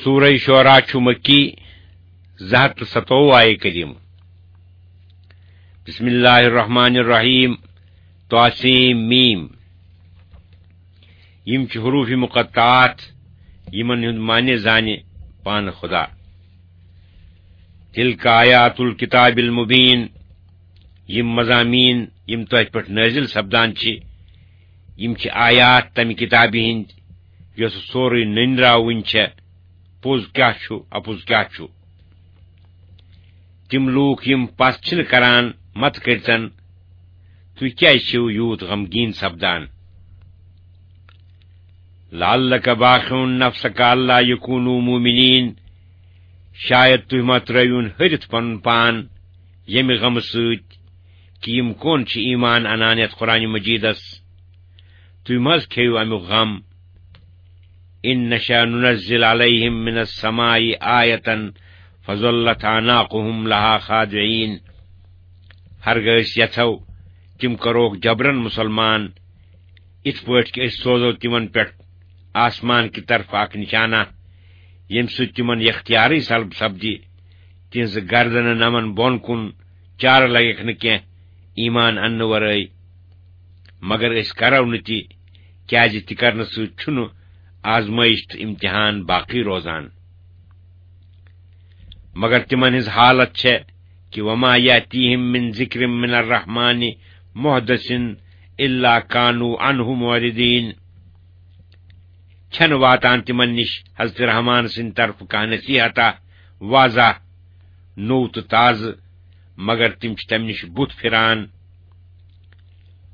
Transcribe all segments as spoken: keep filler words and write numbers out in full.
سورہ شعراء چھُ مکی، زٕ ہتھ تہٕ ستووُہ آیہِ کریم۔ بسم اللہ الرحمن الرحیم۔ طاسیم میم۔ یِم چھِ حروف مقطعات، یِمن ہُنٛد معنی زانہِ پانہٕ خدا۔ تلک آیات الکتاب المبین۔ یِم مضامین، یِم تۄہہِ پٮ۪ٹھ نٲزِل سپدان چھِ، یِم چھِ آیات تمہِ کتابہِ ہٕنٛدۍ، یۄس سورُے نٔنۍ راوٕنۍ چھےٚ۔ پوٚز کیٛاہ چھُ، اپُز کیٛاہ چھُ؟ تِم لوٗکھ، یِم پژھ چھِنہٕ کران، مت کٔرۍتن، تُہۍ کیٛازِ چھِو یوٗت غمگیٖن سپدان؟ لعلک باخع نفسک الا یکونوا مؤمنین۔ شاید تُہۍ ما ترٲوِون ۂرِتھ پنُن پان ییٚمہِ غمہٕ سۭتۍ، کہِ یِم کون چھِ ایمان انان یتھ قرآن مجیدس؟ تُہۍ ما حظ کھیٚیِو امیُک غم؟ ان نشأ ننزل علیہم من السماء آیة فظلت اعناقهم لها خاضعین۔ ہرگاہ أسۍ یژھو، تِم کروکھ جبرن مسلمان، یِتھ پٲٹھۍ کہِ أسۍ سوزو تِمن پٮ۪ٹھ آسمان کہِ طرفہٕ اکھ نشانہ، ییٚمہِ سۭتۍ تِمن یختیارٕے سلب سپدِ، تِہنٛزٕ گردنہٕ نمن بۄن کُن، چارٕ لگٮ۪کھ نہٕ کینٛہہ ایمان اننہٕ ورٲے۔ مگر أسۍ کرو نہٕ تہِ، کیازِ تہِ کرنہٕ سۭتۍ چھُنہٕ آزمٲیش تہٕ امتحان باقی روزان۔ مگر تِمن ہٕنٛز حالت چھےٚ کہِ وما یاتیہم من ذکر من الرحمن محدث الا کانوا عنہ معرضین۔ چھنہٕ واتان تِمن نِش حضرت رحمان سٕنٛدِ طرفہٕ کانٛہہ نصیحتا واضح، نوٚو تہٕ تازٕ، مگر تِم چھِ تمہِ نِش بُتھ پھِران۔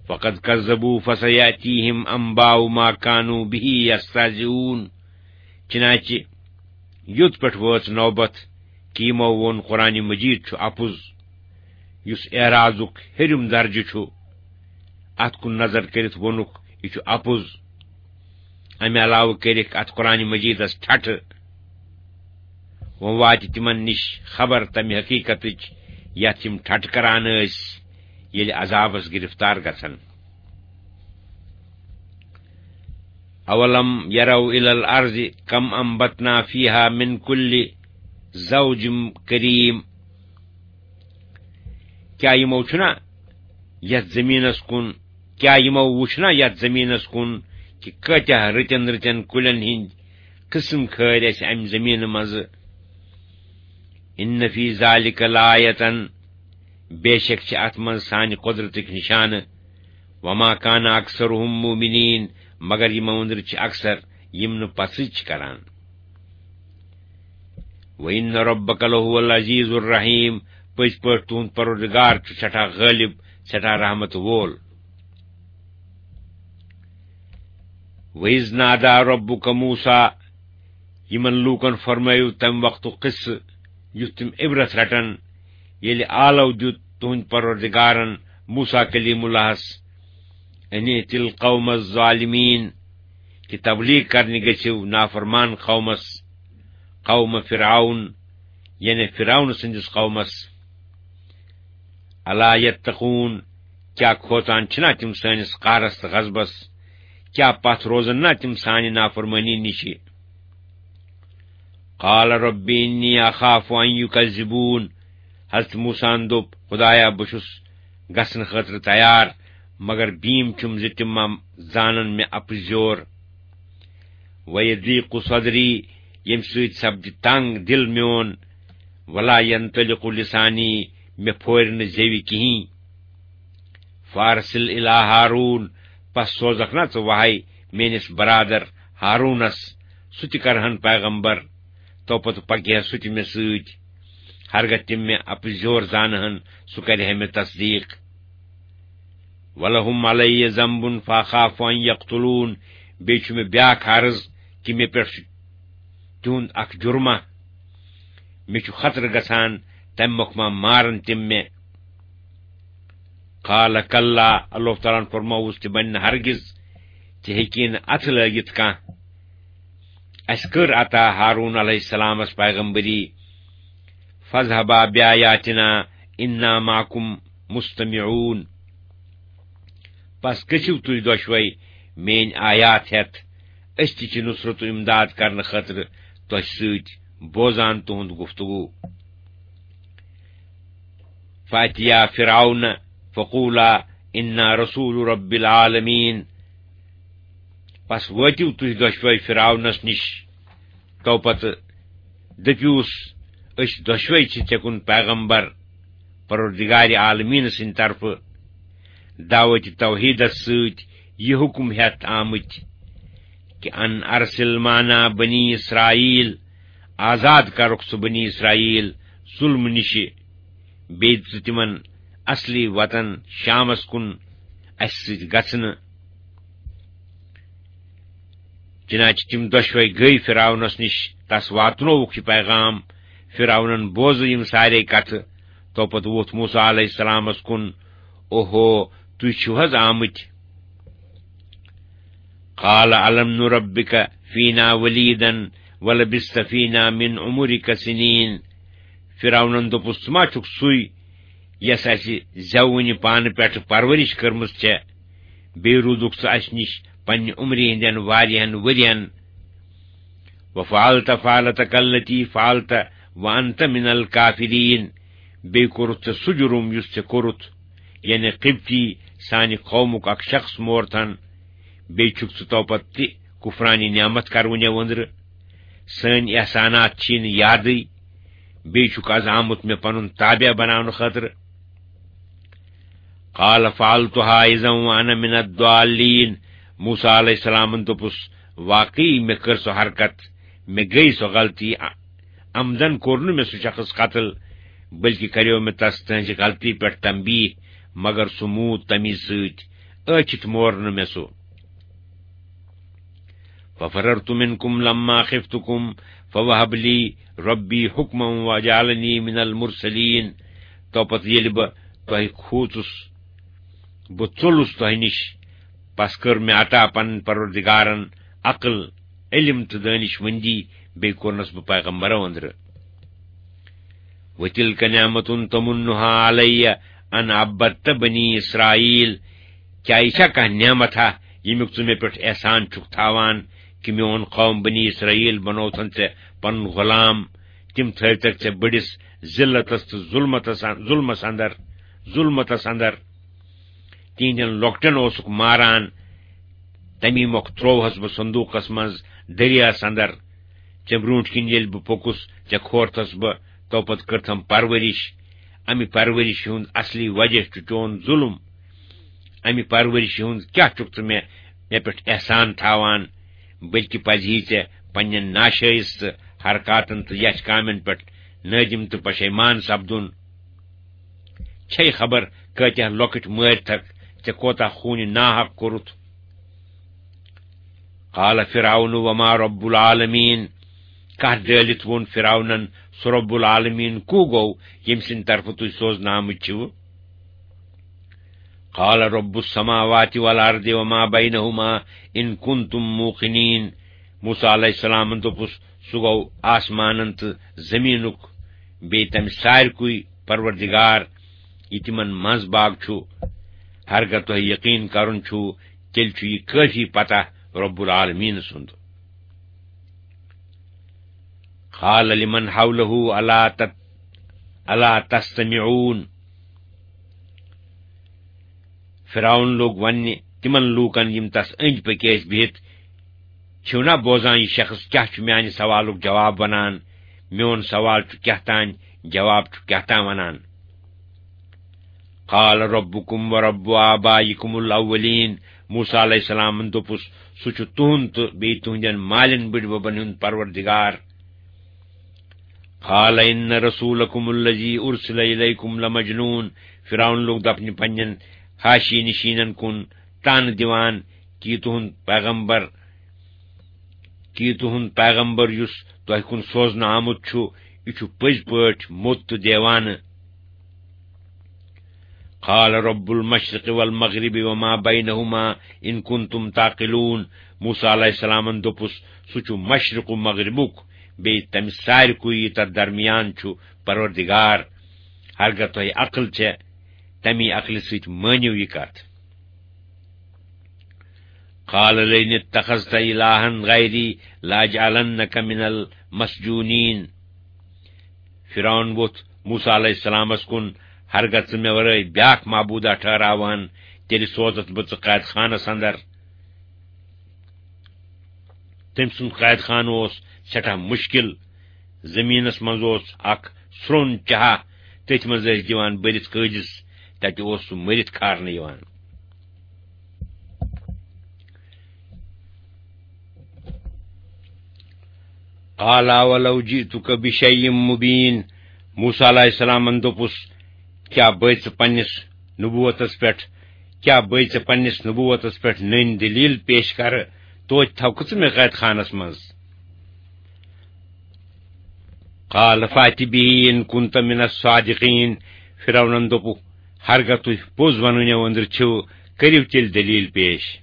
فقد کذبوا فسیاتیہم انباء ما کانوا بہ یستہزئون۔ چنانچہ یوٚت پٮ۪ٹھ وٲژ نوبت کہِ یِمو ووٚن قرآن مجید چھُ اپُز، یُس اعراضُک ہیٚرِم درجہٕ چھُ۔ اتھ کُن نظر کٔرِتھ ووٚنُکھ، یہِ چھُ اپُز۔ امہِ علاوٕ کٔرِکھ اتھ قرآن مجیدس ٹھٹھٕ۔ وۄنۍ واتہِ تِمن نِش خبر تمہِ حقیقتٕچ، یتھ یِم ٹھٹھٕ کران ٲسۍ، ییٚلہِ عذابس گرفتار گژھن۔ اولم یروا الی الارض کم انبتنا فیہا من کل زوج کریم۔ کیا یِمو چھُنا یتھ زمینس کُن، کیا یِمو وُچھنا یتھ زمینس کُن کہِ کٲتیاہ رٕتٮ۪ن رٕتٮ۪ن کُلٮ۪ن ہٕنٛدۍ قٕسم کھٲرۍ اَسہِ امہِ زمینہٕ منٛزٕ؟ ان فی ذلک لآیة، بے شک چھِ اتھ منٛز سانہِ قۄدرتٕکۍ نشانہٕ۔ وما کان اکثرہم مؤمنین، مگر یِمو أنٛدرٕ چھِ اکثر یِم نہٕ پژھٕج چھِ کران۔ وَإِنَّ رَبَّكَ لَهُوَ الْعَزِيزُ الرَّحِيمُ، پٔزۍ پٲٹھۍ تُہُنٛد پروردگار چھُ سٮ۪ٹھاہ غٲلب، سٮ۪ٹھاہ رحمت وول۔ وَإِذْ نَادَىٰ رَبُّكَ مُوسَىٰ، یِمن لوٗکن فرمٲیِو تَمہِ وقتُک قصہٕ، یُتھ تِم عبرت رٹن، ییٚلہِ آلو دیُت تُہنٛدِ پروردگارن موسیٰ کلیم اللہس، ان ائت القوم الظالمین، کہِ تبلیغ کرنہِ گٔژھِو نافرمان قومس، قوم فرعون، یعنی فرعون سٕنٛدِس قومس۔ الا یتقون، کیٛاہ کھوژان چھِنا تِم سٲنِس قہرس تہٕ غضبس؟ کیٛاہ پتھ روزن نا تِم سانہِ نافرمٲنی نِشہِ؟ قال رب انی اخاف ان یکذبون۔ حضرت موسیٰ ہن دوٚپ، خدایا، بہٕ چھُس گژھنہٕ خٲطرٕ تیار، مگر بیٖم چھُم زِ تِم ما زانن مےٚ اپزیور۔ ویضیق صدری، ییٚمہِ سۭتۍ سپدِ تنگ دِل میون۔ ولا ینطلق لسانی، مےٚ پھورِ نہٕ زیوِ کِہیٖنۍ۔ فارسل الی ہارون، پس سوزکھ نا ژٕ وحی میٲنِس برادر ہارونس، سُہ تہِ کرہن پیغمبر، تو پتہٕ پکہِ ہا سُہ تہِ مےٚ سۭتۍ۔ ہرگاہ تِم مےٚ اپزیور زانہٕ ہن، سُہ کرِ ہے مےٚ تصدیق۔ ولہم علی ذنب فاخاف ان یقتلون، بیٚیہِ چھُ مےٚ بیاکھ عرض کہِ مےٚ پٮ۪ٹھ چھُ تِہُنٛد اکھ جُرمہ، مےٚ چھُ خطرٕ گژھان تمہِ مۄکھ ما مارن تِم مےٚ۔ قال کلا، اللہ تعالیٰ ہن فرمووُس، تہِ بنہِ نہٕ ہرگز، ژےٚ ہیٚکی نہٕ اتھٕ لٲگِتھ کانٛہہ۔ اسہِ کٔر عطا ہارون علیہ السلامس پیغمبری۔ فاذهبا بآیاتنا انا معکم مستمعون۔ پس گٔژھِو تُہۍ دۄشوے میٲنۍ آیات ہٮ۪تھ، أسۍ تہِ چھِ نصرت و امداد کرنہٕ خٲطرٕ تۄہہِ سۭتۍ بوزان تُہُنٛد گفتگو۔ فاتیا فرعون فقولا انا رسول رب العالمین۔ پس وٲتِو تُہۍ دۄشوے فرعونس نِش۔ تو پتہٕ دٔپِوس، أسۍ دۄشوے چھِ ژےٚ کُن پیغمبر، پروردگار عالمین سٕنٛدِ طرفہٕ دعوت توحیدس سۭتۍ یہِ حکم ہٮ۪تھ آمٕتۍ کہ ان ارسل معنا بنی اسرائیل، آزاد کرُکھ سُہ بنی اسرائیل ظلم نِشہِ، بیٚیہِ دِ ژٕ تِمن اصلی وطن شامس کُن اسہِ سۭتۍ گژھنہٕ۔ چنانچہ تِم دۄشوے گٔیہِ فرعونس نِش، تس واتنووُکھ یہِ پیغام۔ فرعونن بوزٕ یِم سارے کتھٕ۔ تو پتہٕ ووٚتھ موسیٰ علیہ السلامس کُن، اوہو، تُہۍ چھِو حض آمٕتۍ؟ قال الم نربک فینا ولیدا ولبثت فینا من عمرک سنین۔ فرعونن دوٚپُس، ژٕ ما چھُکھ سُے یس اسہِ زٮ۪وٕنہِ پانہٕ پٮ۪ٹھٕ پرورش کٔرمٕژ چھےٚ، بیٚیہِ روٗدُکھ ژٕ اسہِ نِش پننہِ عمرِ ہٕنٛدٮ۪ن واریاہن ؤرین۔ وفعلت فعلتک التی فعلت وانت من الکافرین۔ بیٚیہِ کوٚرُتھ ژےٚ سُہ جُرُم یُس ژےٚ کوٚرُتھ، یعنی قبطی، سانہِ قومُک اکھ شخص مورتھن۔ بیٚیہِ چھُکھ ژٕ تو پتہٕ تہِ کفرانہِ نعمت کرونہِ أنٛدرٕ۔ سٲنۍ احسانات چھی نہٕ یادٕے۔ بیٚیہِ چھُکھ از آمُت مےٚ پنُن تابع بناونہٕ خٲطرٕ۔ قال فعلتها اذا وانا من الضالین۔ موسیٰ علیہ السلامن دوٚپُس، واقعی مےٚ کٔر سۄ حرکت، مےٚ گٔے سۄ غلطی۔ عمدن کوٚر نہٕ مےٚ سُہ شخص قتل، بلکہ کریو مےٚ تس تہنزِ غلطی پٮ۪ٹھ تنبیہ، مگر سُہ موٗد تمی سۭتۍ، ٲچھِتھ مور نہٕ مےٚ سُہ۔ ففررت منکم لما خفتکم فوهب لی ربی حکما وجعلنی من المرسلین۔ تو پتہٕ ییٚلہِ بہٕ تۄہہِ کھوٗژُس، بہٕ ژوٚلُس تۄہہِ نِش، پس کٔر مےٚ عطا پنٕنۍ پروردگارن عقل، علم تہٕ دٲنِش مندی، بیٚیہِ کوٚرنس بہٕ پیغمبرو أنٛدرٕ۔ وتلک نعمة تمنها علی ان عبدت بنی اسرائیل۔ کیا یہِ چھا کانٛہہ نعمت ہا، ییٚمیُک ژٕ مےٚ پٮ۪ٹھ احسان چھُکھ تھاوان، کہِ میون قوم بنی اسرائیل بنوتھن ژےٚ پنُن غلام، تِم تھٲوتکھ ژےٚ بٔڑِس ذلتس تہٕ ظلمتس، ظلمس اندر، ظلمتس اندر۔ تِہنٛدٮ۪ن لۄکٹٮ۪ن اوسُکھ ماران، تمی مۄکھ ترووہس بہٕ صندوقس منٛز دریاہس اندر۔ ژےٚ برونٛٹھ کِنۍ ییٚلہِ بہٕ پوٚکُس، ژےٚ کھورتھس بہٕ، تو پتہٕ کٔرتھم پرورش۔ امہِ پرورشہِ ہُنٛد اصلی وجہ چھُ چون ظلم۔ امہِ پرورشہِ ہُنٛد کیٛاہ چھُکھ ژٕ مےٚ، مےٚ پٮ۪ٹھ احسان تھاوان؟ بلکہِ پزِ ہی ژےٚ پننٮ۪ن ناشٲیِستہٕ حرکاتن تہٕ یچھ کامٮ۪ن پٮ۪ٹھ نٲدِم تہٕ پشیمان سپدُن۔ چھے خبر کٲتیاہ لۄکٕٹۍ مٲرۍ تھکھ، ژےٚ کوتاہ خوٗنہِ ناحق کوٚرُتھ۔ قال فرعون وما رب العالمین۔ کتھ ڈٲلِتھ ووٚن فرعونن، سُہ رب العالمین کو گوٚو، ییٚمہِ سٕنٛدِ طرفہٕ تُہۍ سوزنہٕ آمٕتۍ چھِو؟ قال رب السماوات والارض وما بینہما ان کنتم موقنین۔ موسیٰ علیہ السلامن دوٚپُس، سُہ گوٚو آسمانن تہٕ زمینُک، بیٚیہِ تمہِ سارِکُے پروردگار، یہِ تِمن منٛز باگ چھُ۔ ہرگاہ تۄہہِ یقین کرُن چھُ، تیٚلہِ چھُ یہِ کٲفی پتہ رب العالمین سُنٛد۔ قال لمن حوله الا تت-، الا تستمعون۔ فرعون لوٚگ وننہِ تِمن لوٗکن، یِم تس أنٛدۍ پٔکۍ ٲسۍ بِہِتھ، چھِو نا بوزان، یہِ شخص کیٛاہ چھُ میانہِ سوالُک جواب ونان؟ میون سوال چھُ کیٛاہ تام، جواب چھُ کیٛاہ تام ونان۔ قال ربکم ورب آبائکم الاولین۔ موسیٰ علیہ السلامن دوٚپُس، سُہ چھُ تُہُنٛد تہٕ بیٚیہِ تُہنٛدٮ۪ن مالٮ۪ن بٕڈببن ہُنٛد پروردگار۔ قال ان رسولکم الذی ارسل الیکم لمجنون۔ فرعون لوٚگ دپنہِ پننٮ۪ن حاشی نشینن کُن، طعنہٕ دِوان، کہِ یہِ تُہُنٛد پیغمبر، کہِ یہِ تُہُنٛد پیغمبر یُس تۄہہِ کُن سوزنہٕ آمُت چھُ، یہِ چھُ پٔزۍ پٲٹھۍ موٚت تہٕ دیوانہٕ۔ قال رب المشرق والمغرب وما بینہما ان کنتم تعقلون۔ موسیٰ علیہ السلامن دوٚپُس، سُہ چھُ مشرق و مغربُک، بیٚیہِ تمہِ سارِکُے یہِ تتھ درمیان چھُ، پروردگار۔ ہرگاہ تۄہہِ عقل چھےٚ، تمی عقلہِ سۭتۍ مٲنِو یہِ کتھ۔ قال لئن اتخذت إلها غيري لأجعلنك من المسجونين۔ فرعون ووٚتھ موسیٰ علیہ السلامس کُن، ہرگاہ ژٕ مےٚ ورٲے بیاکھ معبوٗدا ٹھہراوہن، تیٚلہِ سوزتھ بہٕ ژٕ قید خانس اندر۔ تٔمۍ سُنٛد قید خانہٕ اوس سٮ۪ٹھاہ مُشکِل۔ زٔمیٖنَس منٛز اوس اکھ سرٛوٚن چاہا، تٔتھۍ منٛز ٲسۍ دِوان بٔرِتھ قٲدِس، تَتہِ اوس سُہ مٔرِتھ کھارنہٕ یِوان۔ قال أولو جئتك بشيء مبين۔ موسیٰ علیہ السلامن دوٚپُس، کیٛاہ بٲے ژٕ پننِس نبوتس پٮ۪ٹھ، کیٛاہ بٲے ژٕ پننِس نبوتس پٮ۪ٹھ نٔنۍ دلیل پیش کرٕ؟ توتہِ تھاوکھٕ ژٕ مےٚ قید خانس منٛز۔ قال فأت به إن كنت من الصادقين۔ فرعونن دوٚپُکھ، ہرگاہ تُہۍ پوٚز ونہٕ نٮ۪و أنٛدرٕ چھِو، کٔرِو تیٚلہِ دلیل پیش۔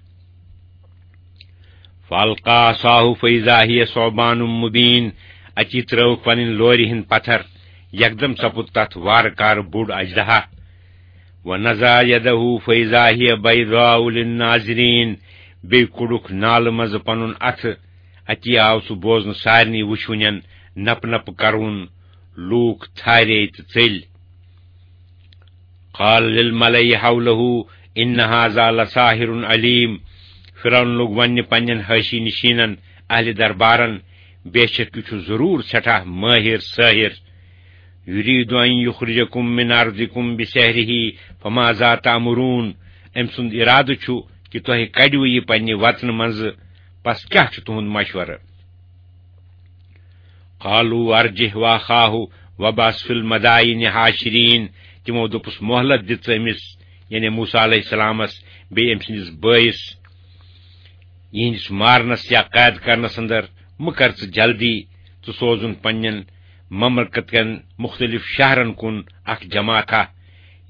فألقى عصاه فإذا هي ثعبان مبين۔ اتی ترٲوکھ پنٕنۍ لورِ ہٕنٛدۍ پتھر، یکدم سپُد تتھ وارٕ کارٕ بوٚڑ اژدہا۔ ونزع يده فإذا هي بيضاء للناظرين۔ بیٚیہِ کوٚڑُکھ نالہٕ منٛزٕ پنُن اتھٕ، اتی آو سُہ بوزنہٕ سارنٕے وٕچھوٕنٮ۪ن نپہٕ نپہٕ کرُن۔ لوٗکھ تھارے تہٕ ژٔلۍ۔ قال للملأ حوله إن هذا لساحر عليم۔ فرعون لوٚگ وننہِ پننٮ۪ن حٲشی نشینن، اہلِ دربارن، بے شک یہِ چھُ ضروٗر سٮ۪ٹھاہ مٲہِر سٲحِر۔ يريد أن يخرجكم من أرضكم بسحره فماذا تأمرون۔ أمۍ سُنٛد اِرادٕ چھُ کہِ تۄہہِ کڑِوٕ یہِ پننہِ وطنہٕ منٛزٕ، پس کیٛاہ چھُ تُہُنٛد مشورٕ؟ قالوا أرجه وأخاه وابعث في المدائن حاشرين۔ تِمو دوٚپُس، مۄہلت دِ ژٕ أمِس، یعنی موسیٰ علیہ السلامس، بیٚیہِ أمۍ سٕنٛدِس بٲیِس۔ یِہنٛدِس مارنس یا قید کرنس اندر مہ کر ژٕ جلدی، ژٕ سوزُن پننٮ۪ن مملکت کٮ۪ن مختلف شہرن کُن اکھ جماعتھا،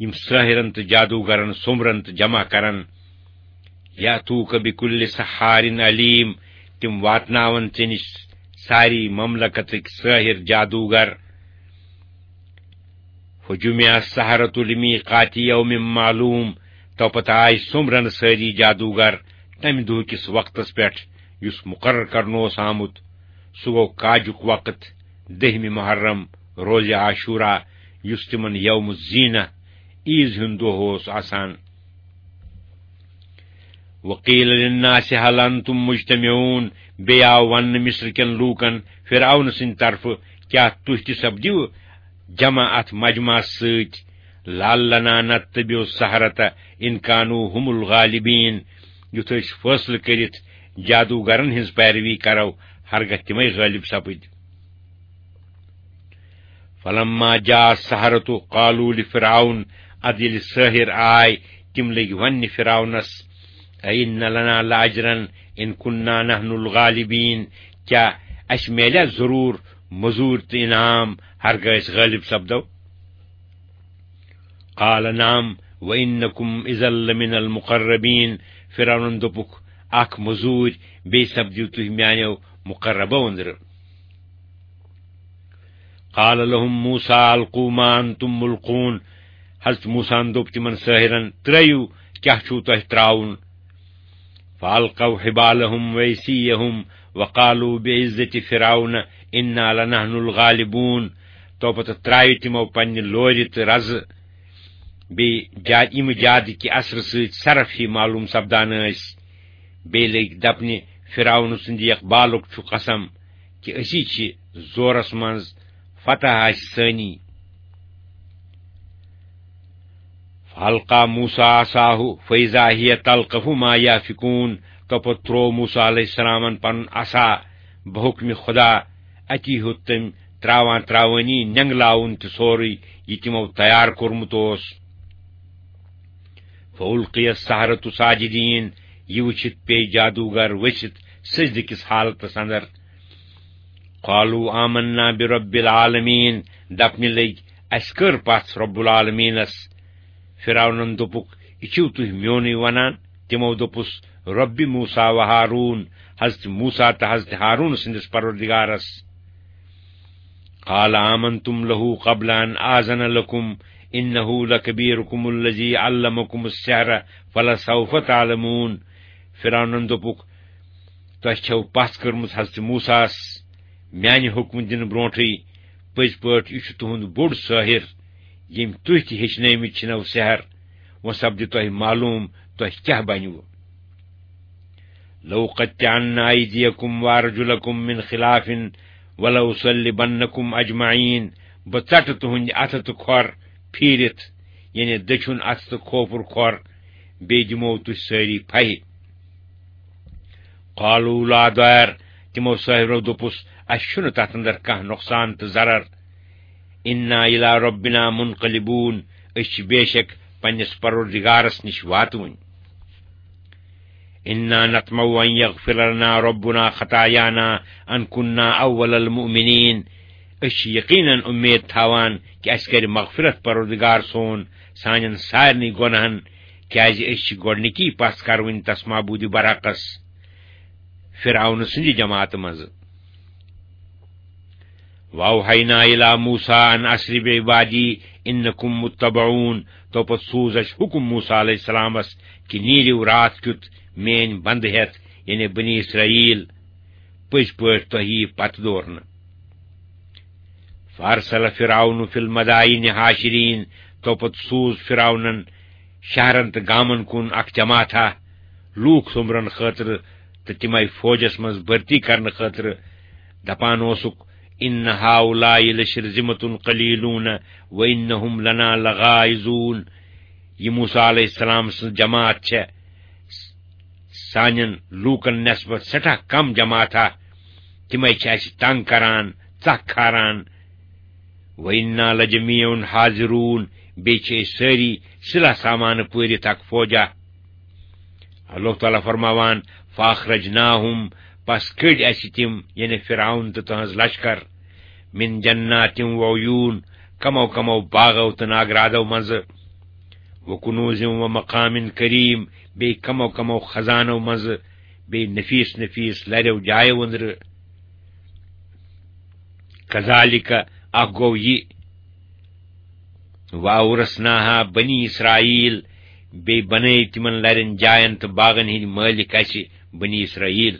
یِم سٲحرن تہٕ جادوگرن سومرن تہٕ جمع کرن۔ یأتوک بکل سحار علیم، تِم واتناون ژےٚ نِش ساری مملکتٕکۍ سٲحر جادوگر۔ فجمع السحرة لميقات يوم معلوم، تو پتہٕ آے سومرن سٲری جادوگر تمہِ دۄہ کِس وقتس پٮ۪ٹھ یُس مقرر کرنہٕ اوس آمُت۔ سُہ گوٚو کاجُک وقت، دٔہمہِ محرم، روزِ عاشورا، یُس تِمن یوم الزینہ، عیٖز ہُنٛد دۄہ اوس آسان۔ وقیل للناس هل انتم مجتمعون، بیٚیہِ آو وننہٕ مصر کٮ۪ن لوٗکن فرعون سٕنٛدِ طرفہٕ، کیٛاہ تُہۍ تہِ سپدِو جمع اتھ مجمعس سۭتۍ؟ لعلنا نتبع السحرة ان كانوا هم الغالبين، یُتھ أسۍ فٲصلہٕ کٔرِتھ جادوگرن ہٕنٛز پیروی کرو، ہرگاہ تِمے غٲلب سپٕدۍ۔ فلما جاء السحرة قالوا لفرعون، ادٕ ییٚلہِ سٲحر آے، تِم لٔگۍ وننہِ فرعونس، أئن لنا لأجرا إن كنا نحن الغالبين، کیٛاہ اسہِ میلیا ضروٗر مزوٗرۍ تہٕ انعام، ہرگاہ أسۍ غٲلب سپدو؟ قال نعم وإنكم إذا لمن المقربين۔ فرعونن دوٚپُکھ، اکھ مزوٗرۍ، بیٚیہِ سپدِو تُہۍ میانیو مقربو أنٛدرٕ۔ قال لهم موسى ألقوا ما أنتم ملقون۔ حضرت موسیٰ ہن دوٚپ تِمن سٲحرن، ترٲیِو، کیٛاہ چھُو تۄہہِ ترٛاوُن؟ فألقوا حبالهم وعصيهم وقالوا بعزة فرعون إنا لنحن الغالبون۔ تو پتہٕ ترٛایہِ تِمو پننہِ لورِ تہٕ رزٕ، بیٚیہِ جا-، یِم جادٕ کہِ اثرٕ سۭتۍ صرف ہی معلوم سپدان ٲسۍ۔ بیٚیہِ لٔگۍ دپنہِ، فرعون سٕنٛدِ اقبالُک چھُ قسم کہِ أسی چھِ زورس منٛز، فتح آسہِ سٲنی۔ فألقى موسى عصاه فإذا هي تلقف ما يأفكون۔ تو پتہٕ تروو موسیٰ علیہ السلامن پنُن عصا بحکمِ خدا۔ اتی ہیوٚت تٔمۍ تراوان تراوٲنی نینگلاوُن تہِ سورُے، یہِ تِمو تیار کوٚرمُت اوس۔ فألقي السحرة ساجدين۔ یہِ وٕچھِتھ پیٚیہِ جادوگر ؤسِتھ سجدٕ کِس حالتس اندر۔ قالوا آمنا برب العالمين۔ دپنہِ لٔگۍ، اسہِ کٔر پژھ رب العالمینس۔ فرعونن دوٚپُکھ، یہِ چھِو تُہۍ میونُے ونان؟ تِمو دوٚپُس، رب موسیٰ و ہارون، حضرت موسیٰ تہٕ حضرت ہارون سٕنٛدِس پروردگارس۔ قال آمنتم له قبل أن آذن لكم إنه لكبيركم الذي علمكم السحر فلسوف تعلمون۔ فرعونن دوٚپُکھ، "تۄہہِ چھَو پژھ کٔرمٕژ حضرت موسیٰ ہَس میانہِ حُکمہٕ دِنہٕ برونٹھٕے۔ پٔزۍ پٲٹھۍ یہِ چھُ تُہُنٛد بوٚڑ سٲحِر، ییٚمۍ تُہۍ تہِ ہیٚچھنٲومٕتۍ چھِنو سحر۔ وۄنۍ سپدِ تۄہہِ معلوم تۄہہِ کیٛاہ بنِوٕ۔" "لَأُقَطِّعَنَّ أَيْدِيَكُمْ وَأَرْجُلَكُمْ مِنْ خِلَافٍ وَلَأُصَلِّبَنَّكُمْ أَجْمَعِينَ۔" بہٕ ژٹہٕ تُہٕنٛدۍ اَتھٕ تہٕ کھۄر پھیٖرِتھ، یعنی دٔچھُن اَتھٕ تہٕ کھوپُر کھۄر، بیٚیہِ دِمو تُہۍ سٲری پھہہِ۔ قالوا لا ضير، تِمو سٲحِرو دوٚپُس، "اَسہِ چھُنہٕ تَتھ اندر کانٛہہ نۄقصان تہٕ ضرر۔ إنا إلى ربنا منقلبون، أسۍ چھِ بے شک پننِس پروردگارس نِش واتوٕنۍ۔" إنا نطمع أن يغفر لنا ربنا خطايانا أن كنا أول المؤمنين۔ أسۍ چھِ یقیناً اُمید تھاوان کہِ اَسہِ کَرِ مغفرت پروردگار سون سانٮ۪ن سارنٕے گۄناہن، کیٛازِ أسۍ چھِ گۄڈٕنِکی پژھ کروٕنۍ تس معبوٗدِ برحقس، فرعون سٕنٛدِ جماعتہٕ منٛزٕ۔ وأوحينا إلى موسى أن أسر بعبادي إنكم متبعون۔ تو پتہٕ سوٗز اَسہِ حُکم موسیٰ علیہ السلامس کہِ نیٖرِو راتھ کیُتھ میٲنۍ بندٕ ہٮ۪تھ، یعنی بنی اسرائیل، پٔزۍ پٲٹھۍ تۄہہِ یِیہِ پتہٕ دورنہٕ۔ فأرسل فرعون في المدائن حاشرين، تو پتہٕ سوٗز فرعونن شہرن تہٕ گامن کُن اکھ جماعتھا، لوٗکھ سوٚمبرن خٲطرٕ تہٕ تِمے فوجس منٛز بھرتی کرنہٕ خٲطرٕ۔ دپان اوسُکھ، "إن هؤلاء لشرذمة قليلون وإنهم لنا لغائظون۔" یہِ موسیٰ علیہ السلام سٕنٛز جماعت چھےٚ سانٮ۪ن لوٗکن نسبت سٮ۪ٹھاہ کم جماعتھا، تِمے چھِ اَسہِ تنگ کران، ژکھ کھاران۔ وَإِنَّا لَجَمِيعٌ حَاذِرُونَ، بیٚیہِ چھِ أسۍ سٲری سلاح سامانہٕ پٲرِتھ اکھ فوجا۔ اللہ تعالیٰ فرماوان، فَأَخْرَجْنَاهُمْ، پس کٔڈۍ اَسہِ تِم، یعنی فرعون تہٕ تہنٛز لشکر، مِنْ جَنَّاتٍ وَعُيُونٍ، کمو کمو باغو تہٕ ناگرادو منٛزٕ، وَكُنُوزٍ وَمَقَامٍ كَرِيمٍ، بیٚیہِ کمو کمو خزانو منٛزٕ، بیٚیہِ نفیس نفیس لریو جایو أنٛدرٕ۔ کذالک، اکھ گوٚو یہِ، وَأَوْرَثْنَاهَا بَنِي إِسْرَائِيلَ، بیٚیہِ بنٲے تِمن لرٮ۪ن جاین تہٕ باغن ہٕنٛدۍ مٲلِک اَسہِ بنی اسرائیل۔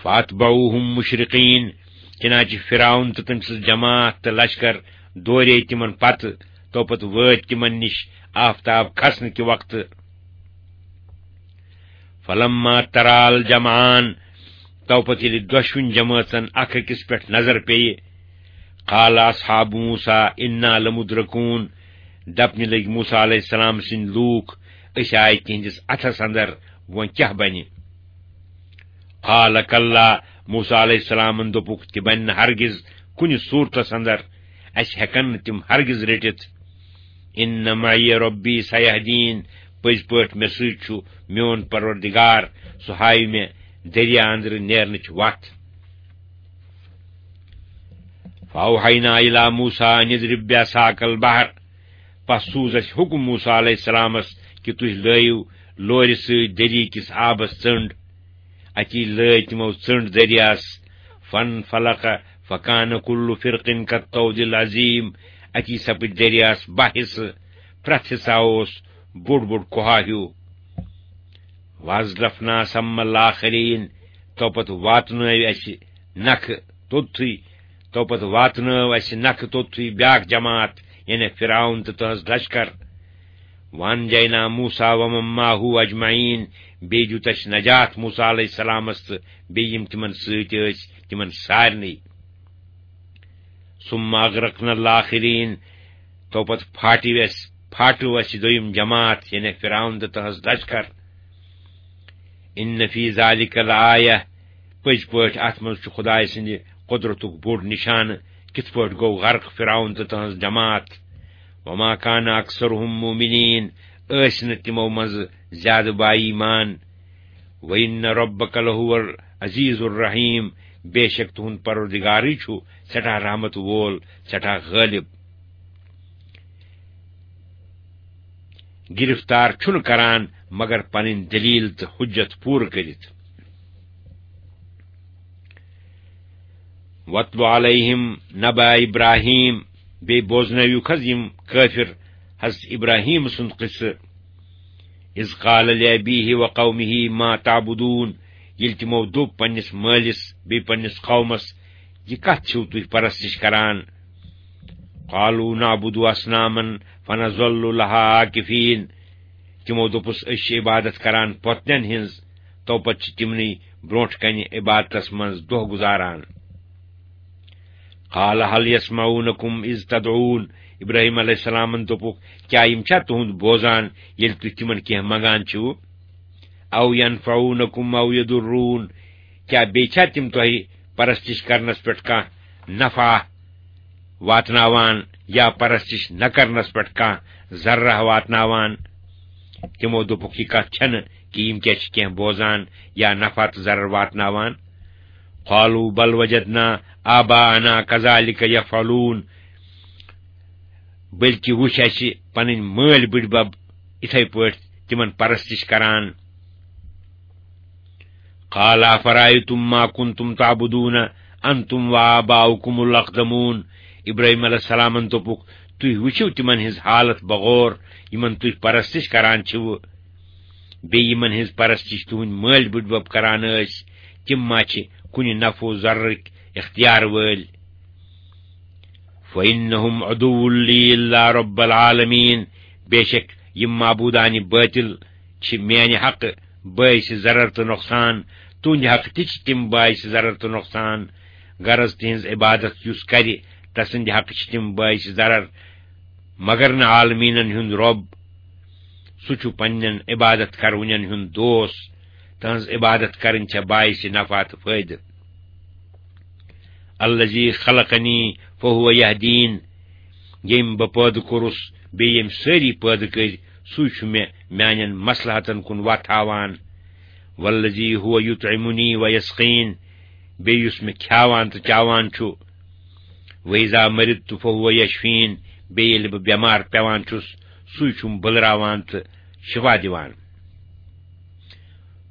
فَأَتْبَعُوهُمْ مُشْرِقِينَ، چنانچہ فرعون تہٕ تٔمۍ سٕنٛز جماعت تہٕ لشکر دورے تِمن پتہٕ، تو پتہٕ وٲتۍ تِمن نِش آفتاب کھسنہٕ کہِ وقتہٕ۔ فَلَمَّا تَرَا الْجَمْعَانِ، تو پتہٕ ییٚلہِ دۄشوٕنۍ جمٲژن اکھ أکِس پٮ۪ٹھ نظر پیٚیہِ، قَالَ أَصْحَابُ مُوسَىٰ إِنَّا لَمُدْرَكُونَ، دپنہِ لٔگۍ موسیٰ علیہ السلام سٕنٛدۍ لوٗکھ، "أسۍ آے تِہنٛدِس اَتھس اندر، وۄنۍ کیٛاہ بنہِ؟" قَالَ كَلَّا، موسیٰ علیہ السلامن دوٚپُکھ، "تہِ بنہِ نہٕ ہرگز کُنہِ صوٗرتس اندر، اَسہِ ہٮ۪کن نہٕ تِم ہرگز رٔٹِتھ۔ إِنَّ مَعِيَ رَبِّي سَيَهْدِينِ، پٔزۍ پٲٹھۍ مےٚ سۭتۍ چھُ میون پروردگار، سُہ ہاوِ مےٚ دریا اندرٕ نیرنٕچ وتھ۔" فَأَوْحَيْنَا إِلَىٰ مُوسَىٰ أَنِ اضْرِب بِّعَصَاكَ الْبَحْرَ، پس سوٗز اَسہِ حُکُم موسیٰ علیہ السلامس کہِ تُہۍ لٲیِو لورِ سۭتۍ دٔریاہ کِس آبس ژٔنٛڈ۔ اَتی لٲے تِمو ژٔنٛڈ دٔریاہس۔ فَانْفَلَقَ فَكَانَ كُلُّ فِرْقٍ كَالطَّوْدِ الْعَظِيمِ۔ اَتی سپٕدۍ دٔریاہس باہ حصہٕ، پرٛٮ۪تھ حصہ اوس بوٚڑ بوٚڑ کوہا ہیوٗ۔ وَأَزْلَفْنَا ثَمَّ الْآخَرِينَ، تو پتہٕ واتنٲو اَسہِ نکھٕ توٚتتھٕے، تو پتہٕ واتنٲو اَسہِ نکھٕ توٚتتھٕے بیٛاکھ جماعت، یعنی فرعون تہٕ تہنٛز لشکر۔ وَأَنْجَيْنَا مُوسَىٰ وَمَنْ مَعَهُ أَجْمَعِينَ، بیٚیہِ دیُت اَسہِ نجات موسیٰ علیہ السلامس تہٕ بیٚیہِ یِم تِمن سۭتۍ ٲسۍ، تِمن سارنٕے۔ ثُمَّ أَغْرَقْنَا الْآخَرِينَ، تو پتہٕ پھاٹیو اَسہِ، پھاٹیو اَسہِ دوٚیِم جماعت، یعنی فرعون تہٕ تہنٛز لشکر۔ إِنَّ فِي ذَٰلِكَ لَآيَةً، پٔزۍ پٲٹھۍ اَتھ منٛز چھُ خۄداے سٕنٛدِ قۄدرتُک بوٚڑ نِشانہٕ، کِتھ پٲٹھۍ گوٚو غرق فرعون تہٕ تہنٛز جماعت۔ وَمَا كَانَ أَكْثَرُهُمْ مُؤْمِنِينَ، ٲسۍ نہٕ تِمو منٛزٕ زیادٕ با ایمان۔ وَإِنَّ رَبَّكَ لَهُوَ الْعَزِيزُ الرَّحِيمُ، بے شک تُہُنٛد پروردگارٕے چھُ سٮ۪ٹھاہ رحمت وول، سٮ۪ٹھاہ غٲلب۔ گرفتار چھُنہٕ کران مگر پنٕنۍ دلیل تہٕ حجت پوٗرٕ کٔرِتھ۔ وَاتْلُ عَلَيْهِمْ نَبَأَ إِبْرَاهِيمَ، بیٚیہِ بوزنٲوِو حض یِم کٲفِر حضرت ابراہیم سُنٛد قصہٕ۔ اذ قال لأبیہ وقومہ ما تعبدون، ییٚلہِ تِمو دوٚپ پننِس مٲلِس بیٚیہِ پننِس قومس، "یہِ کتھ چھِو تُہۍ پرستش کران؟" قالوا نعبد اصناما فنظل لها عاکفین۔ تِمو دوٚپُس، "أسۍ چھِ عبادت کران پۄتنٮ۪ن ہٕنٛز، تو پتہٕ چھِ تِمنٕے برونٛٹھ کنہِ عبادتس منٛز دۄہ گُزاران۔" قال هل يسمعونكم اذ تدعون۔ ابراہیم علیہ السلامن دوٚپُکھ، "کیٛاہ یِم چھا تُہُنٛد بوزان ییٚلہِ تُہۍ تِمن کینٛہہ منگان چھِو؟ او ينفعونكم او يضرون، کیٛاہ بیٚیہِ چھا تِم تۄہہِ پرستش کرنس پٮ۪ٹھ کانٛہہ نفع واتناوان یا پرستش نہ کرنس پٮ۪ٹھ کانٛہہ ضررہ واتناوان؟" تِمو دوٚپُکھ، "یہِ کتھ چھنہٕ کہِ یِم کیٛاہ چھِ کینٛہہ بوزان یا نفع تہٕ ضرر واتناوان۔" قالوا بل وجدنا آباءنا كذلك يفعلون، بلکہ وُچھ اَسہِ پنٕنۍ مٲلۍ بٕڈبب اِتھے پٲٹھۍ تِمن پرستش کران۔ قال أفرأيتم ما كنتم تعبدون أنتم وآباؤكم الأقدمون۔ ابراہیم علیہ السلامن دوٚپُکھ، "تُہۍ وٕچھِو تِمن ہٕنٛز حالت بغور یِمن تُہۍ پرستش کران چھِو، بیٚیہِ یِمن ہٕنٛز پرستش تُہٕنٛدۍ مٲلۍ بٕڈبب کران ٲسۍ، تِم ما چھِ کُنہِ نفع و ضررٕکۍ اختیار وٲلۍ؟" فإنهم عدو لي إلا رب العالمين، بے شک یِم معبودانِ باطل چھِ میانہِ حقہٕ باعث ضرر تہٕ نۄقصان، تُہنٛدِ حقہٕ تہِ چھِ تِم باعث ضرر تہٕ نۄقصان۔ غرض تِہنٛز عبادت یُس کرِ، تسٕنٛدِ حقہٕ چھِ تِم باعث ضرر، مگر نہٕ عالمیٖنن ہُنٛد رۄب۔ سُہ چھُ پننٮ۪ن عبادت کرونٮ۪ن ہُنٛد دوست۔ تہنٛز عبادت کرٕنۍ چھےٚ باعث نفع تہٕ فٲیدٕ۔ الذي خلقني فهو يهدين، ییٚمۍ بہٕ پٲدٕ کوٚرُس، بیٚیہِ ییٚمۍ سٲری پٲدٕ کٔرۍ، سُے چھُ مےٚ میانٮ۪ن مصلحتن کُن وتھ ہاوان۔ والذي هو يطعمني ويسقين، بیٚیہِ یُس مےٚ کھیاوان تہٕ چاوان چھُ۔ وإذا مرضت فهو يشفين، بیٚیہِ ییٚلہِ بہٕ بٮ۪مار پٮ۪وان چھُس، سُے چھُم بٔلراوان تہٕ شفا دِوان۔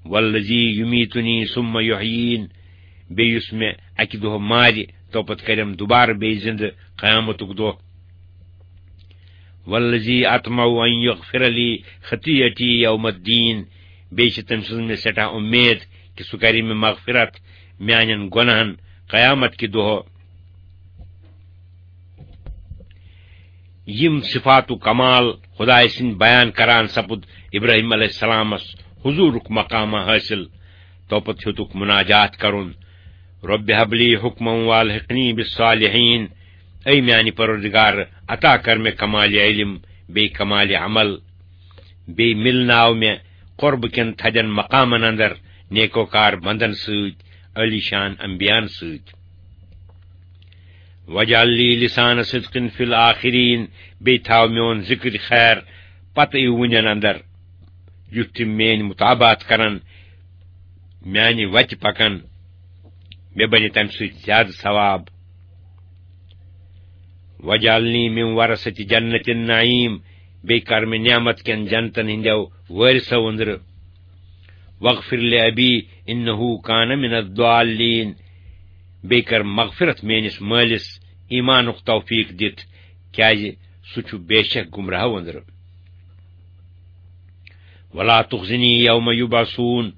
والذي يميتني ثم يحيين، بیٚیہِ یُس مےٚ اکہِ دۄہ مارِ، تو پتہٕ کرٮ۪م دُبارٕ بیٚیہِ زِندٕ قیامتُک دۄہ۔ والذي أطمع أن يغفر لي خطيئتي يوم الدين، بیٚیہِ چھِ تٔمۍ سٕنٛز مےٚ سٮ۪ٹھاہ اُمید کہِ سُہ کرِ مےٚ مغفرت میانٮ۪ن گۄناہن قیامت کہِ دۄہ۔ یِم صفات و کمال خدایہِ سٕنٛدۍ بیان کران سپُد ابراہیم علیہ السلامس حضورُک مقامہ حٲصِل۔ توپتہٕ ہیوٚتُکھ مناجات کرُن، "رب هب لي حكما وألحقني بالصالحين"، اے میانہِ پروردگار، عطا کر مےٚ کمال علم بیٚیہِ کمال عمل، بیٚیہِ مِلناو مےٚ قرب کٮ۪ن تھدٮ۪ن مقامن اندر نیکوکار بندن سۭتۍ، عالی شان انبیاءن سۭتۍ۔ واجعل لي لسان صدق في الآخرين، بیٚیہِ تھاو میون ذکر خیر پتہٕ یِوٕنٮ۪ن اندر، یُتھ تِم میٲنۍ مطابعت کرن، میانہِ وتہِ پکن، مےٚ بنہِ تمہِ سۭتۍ زیادٕ ثواب۔ واجعلني من ورثة جنة النعيم، بیٚیہِ کر مےٚ نعمت کٮ۪ن جنتن ہٕنٛدٮ۪و وٲرثو أنٛدرٕ۔ واغفر لأبي إنه كان من الضالين، بیٚیہِ کر مغفرت میٲنِس مٲلِس ایمانُک توفیق دِتھ، کیازِ سُہ چھُ بے شک گمراہو أنٛدرٕ۔ ولا تخزني يوم يبعثون،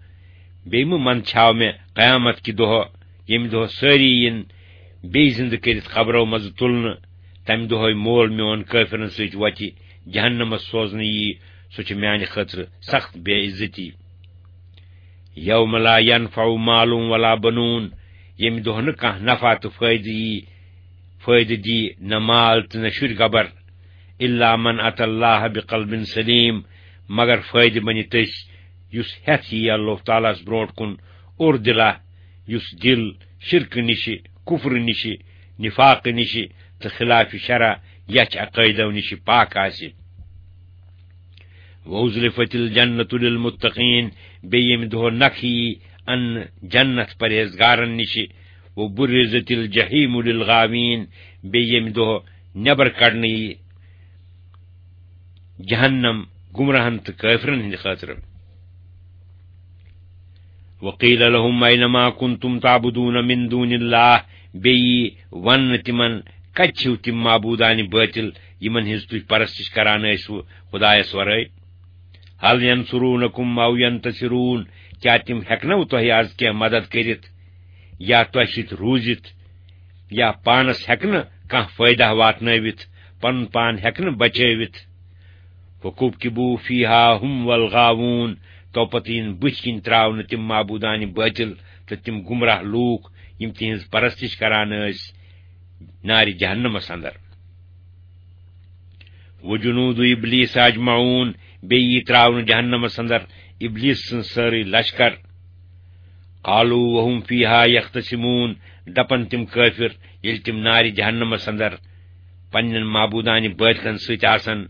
بیٚیہِ مہٕ منٛدچھاو مےٚ قیامت کہِ دۄہ، ییٚمہِ دۄہ سٲری یِن بیٚیہِ زِندٕ کٔرِتھ قبرو منٛزٕ تُلنہٕ۔ تمہِ دۄہے مول میون کٲفرن سۭتۍ وتہِ جہنمس سوزنہٕ یی، سُہ چھُ میانہِ خٲطرٕ سخت بے عزتی۔ يوم لا ينفع مال ولا بنون، ییٚمہِ دۄہ نہٕ کانٛہہ نفع تہٕ فٲیدٕ یی، فٲیدٕ دی نہ مال تہٕ نہ شُرۍ گبر۔ إلا من أتى الله بقلب سليم، مگر فٲیدٕ بنہِ تٔسۍ یُس ہٮ۪تھ یی اللہ تعالیٰ ہس برونٛٹھ کُن اوٚر دِلا، یُس دِل شرکہٕ نِشہِ، کفرٕ نِشہِ، نفاقہٕ نِشہِ تہٕ خلاف شرع یچھ عقٲیدو نِشہِ پاک آسہِ۔ وأزلفت الجنة للمتقين، بیٚیہِ ییٚمہِ دۄہ نکھٕ یی اننہٕ جنت پرہیزگارن نِشہِ۔ وبرزت الجحيم للغاوين، بیٚیہِ ییٚمہِ دۄہ نٮ۪بر کڑنہٕ یی جہنم گمراہن تہٕ کٲفرن ہٕنٛدِ خٲطرٕ۔ وقيل لهم أين ما كنتم تعبدون من دون الله، بیٚیہِ یی وننہٕ تِمن، کتہِ چھِو تِم معبودانِ باطل یِمن ہٕنٛز تُہۍ پرستش کران ٲسِو خدایس ورٲے؟ هل ينصرونكم أو ينتصرون، کیٛاہ تِم ہٮ۪کنو تۄہہِ از کینٛہہ مدد کٔرِتھ یا تۄہہِ سۭتۍ روٗزِتھ، یا پانس ہٮ۪کنہٕ کانٛہہ فٲیدہ واتنٲوِتھ، پنُن پان ہٮ۪کنہٕ بچٲوِتھ؟ فكبكبوا فيها هم والغاوون، تو پتہٕ یِن بٕتھِ کِنۍ ترٛاونہٕ تِم معبوٗدانہِ بٲطِل تہٕ تِم گمراہ لوٗکھ، یِم تِہنٛز پرستش کران ٲسۍ نارِ جہنمس اندر۔ وجنود ابلیس اجمعون، بیٚیہِ یی ترٛاونہٕ جہنمس اندر ابلیس سٕنٛز سٲرٕے لشکر۔ قالوا وهم فيها يختصمون، دپن تِم کٲفر، ییٚلہِ تِم نارِ جہنمس اندر پننٮ۪ن معبوٗدانہِ بٲطلن سۭتۍ آسن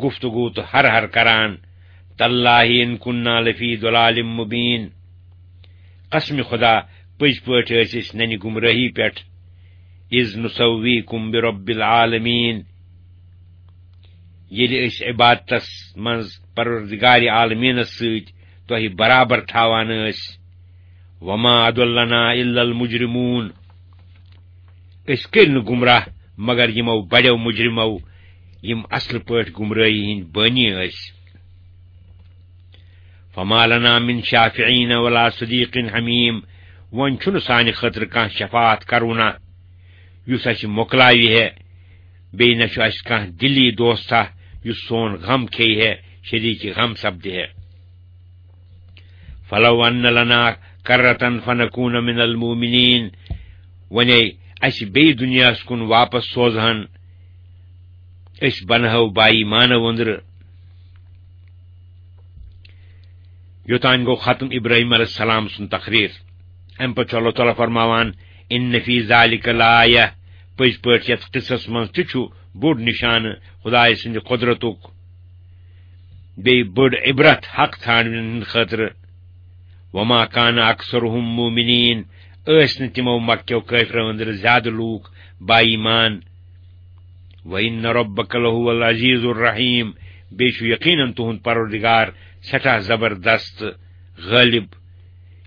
گفتگو تہٕ ہر ہر کران، تاللہ ان كنا لفي ضلال مبين، قسم خدا، پٔزۍ پٲٹھۍ ٲسۍ أسۍ ننہِ گمرٲہی پٮ۪ٹھ۔ اذ نسويكم برب العالمين، ییٚلہِ أسۍ عبادتس منٛز پروردگار عالمینس سۭتۍ تۄہہِ برابر تھاوان ٲسۍ۔ وما اضلنا الا المجرمون، أسۍ کٔرۍ نہٕ گمراہ مگر یِمو بڑیو مجرمو، یِم اصل پٲٹھۍ گمرٲہی ہٕنٛدۍ بٲنی ٲسۍ۔ فما لنا من شافعين ولا صديق حميم، وۄنۍ چھُنہٕ سانہِ خٲطرٕ کانٛہہ شفاعت کرونہ یُس اَسہِ مۄکلاوِ ہے، بیٚیہِ نہ چھُ اَسہِ کانٛہہ دِلی دوستہ یُس سون غم کھیٚیہِ ہے، شریٖکِ غم سپدِ ہے۔ فلو ان لنا کرة فنكون من المؤمنين، وۄنۍ اَسہِ بیٚیہِ دُنیاہَس کُن واپس سوزہن، أسۍ بنہو با ایمانہٕ وندرٕ۔ یوٚتام گوٚو ختم ابراہیم علیہ السلام سُنٛد تقریر۔ اَمہِ پتہٕ چھُ اللہ تعالیٰ فرماوان، ان فی ذالک لآیہ، پٔزۍ پٲٹھۍ یتھ قصس منٛز تہِ چھُ بوٚڑ نشانہٕ خدایہِ سٕنٛدِ قدرتُک، بیٚیہِ بٔڑ عبرت حق ژھانٛڈنہٕ ہٕنٛدِ خٲطرٕ۔ وما کان اکثرهم مؤمنین، ٲسۍ نہٕ تِمو مکہ کیو کٲفرو أنٛدرٕ زیادٕ لوٗکھ با ایمان۔ وَإِنَّ رَبَّكَ لَهُوَ الْعَزِيزُ الرَّحِيمُ، بیٚیہِ چھُ یقیناً تُہُنٛد پروردگار سٮ۪ٹھاہ زبردست غٲلب،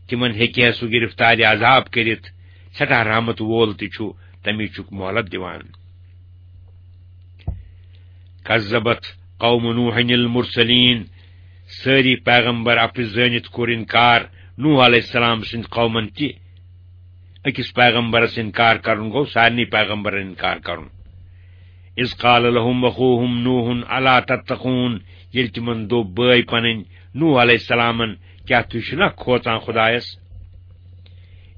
تِمن ہیٚکہِ ہے سُہ گرفتارِ عذاب کٔرِتھ، سٮ۪ٹھاہ رحمت وول تہِ چھُ، تَمی چھُکھ مۄہلت دِوان۔ کذبت قوم نوح المرسلین، سٲری پیغمبر اپُز زٲنِتھ کوٚر انکار نوح علیہ السلام سٕنٛدِ قومن تہِ۔ أکِس پیغمبرس انکار کرُن گوٚو سارنٕے پیغمبرن انکار کرُن۔ اذ قال لهم اخوهم نوح الا تتقون، ییٚلہِ تِمن دوٚپ بٲے پنٕنۍ نوح علیہ السلامن، کیٛاہ تُہۍ چھِو نا کھوژان خدایس؟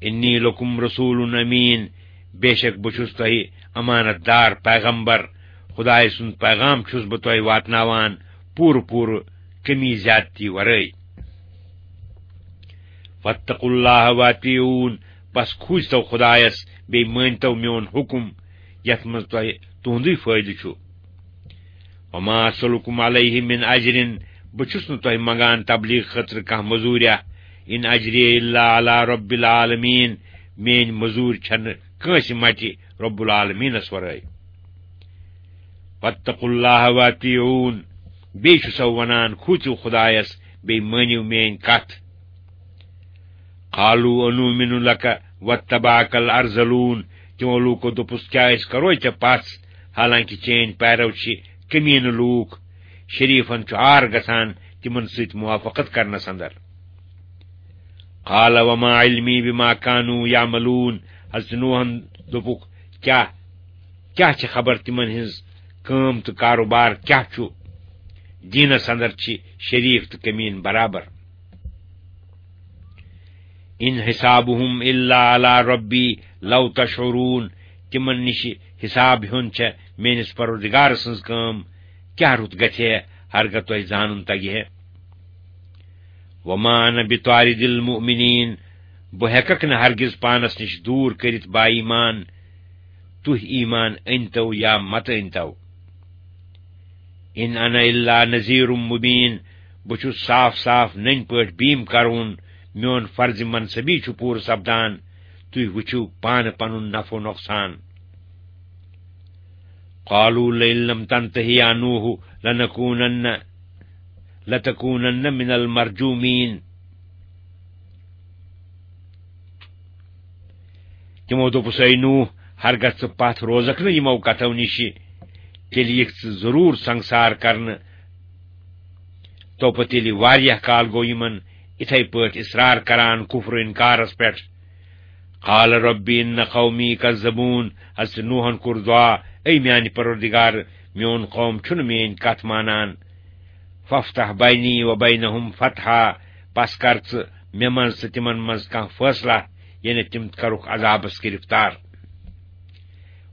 انی لکم رسول امین، بے شک بہٕ چھُس تۄہہِ امانت دار پیغمبر، خدایہِ سُنٛد پیغام چھُس بہٕ تۄہہِ واتناوان پوٗرٕ پوٗرٕ، کمی زیادتی ورٲے۔ فاتقوا اللہ واطیعون، پس کھوٗژتو خدایس، بیٚیہِ مٲنتو میون حُکم، یتھ منٛز تۄہہِ تُہُنٛدُے فٲیدٕ چھُ۔ وما اسألکم علیہ من اجر، بہٕ چھُس نہٕ تۄہہِ منگان تبلیغ خٲطرٕ کانٛہہ مٔزوٗریا۔ ان اجری الا علی رب العالمین، میٲنۍ مٔزوٗرۍ چھنہٕ کٲنٛسہِ مٹہِ رب العالمینس ورٲے۔ واتقوا اللہ واطیعون، بیٚیہِ چھُ سو ونان، کھوٗژِو خدایس، بیٚیہِ مٲنِو میٲنۍ کتھ۔ قالوا انؤمن لك واتبعك الارذلون، تِمو لوٗکو دوٚپُس، کیٛاہ أسۍ کرو ژےٚ پژھ، حالانکہِ چٲنۍ پیرو چھِ کمیٖنہٕ لوٗکھ؟ شریفن چھُ عار گژھان تِمن سۭتۍ موافقت کرنس اندر۔ قال وما علمی بما كانوا يعملون، حضرت نوحن دوٚپُکھ، کیٛاہ، کیٛاہ چھِ خبر تِمن ہٕنٛز کٲم تہٕ کاروبار کیٛاہ چھُ؟ دیٖنس اندر چھِ شریف تہٕ کمیٖن برابر۔ ان حسابهم الا علی ربی لو تشعرون، تِمن نِش حساب ہیوٚن چھےٚ میٲنِس پروردگار سٕنٛز کٲم، کیٛاہ رُت گژھِ ہے ہرگاہ تۄہہِ زانُن تگہِ ہے۔ وما انا بطارد المؤمنین، بہٕ ہیٚککھ نہٕ ہرگز پانس نِش دوٗر کٔرِتھ با ایمان، تُہۍ ایمان أنۍتو یا مت أنۍتو۔ ان انا الا نذیر مبین، بہٕ چھُس صاف صاف نٔنۍ پٲٹھۍ بیٖم کرون، میون فرض منصبی چھُ پوٗرٕ سپدان، تُہۍ وٕچھِو پانہٕ پنُن نفع و نۄقصان۔ قالوا لئن لم تنته يا نوح لنكونن لتكونن من المرجومين۔ تِمو دوٚپُس، اے نوح، ہرگاہ ژٕ پتھ روزکھ نہٕ یِمو کتھو نِشہِ، تیٚلہِ یِکھ ژٕ ضروٗر سنگسار کرنہٕ۔ تو پتہٕ ییٚلہِ واریاہ کال گوٚو یِمن اِتھے پٲٹھۍ اصرار کران کفر و انکارس پٮ۪ٹھ۔ قال رب ان قومی کذبون، حضرت نوحن کوٚر دعا، اے میانہِ پروردگار، میون قوم چھُنہٕ میٲنۍ کتھ مانان۔ فافتح بینی و بینہم فتحا، پس کر ژٕ مےٚ منٛز تہٕ تِمن منٛز کانٛہہ فٲصلہ، یعنی تِم کرُکھ عذابس گرفتار۔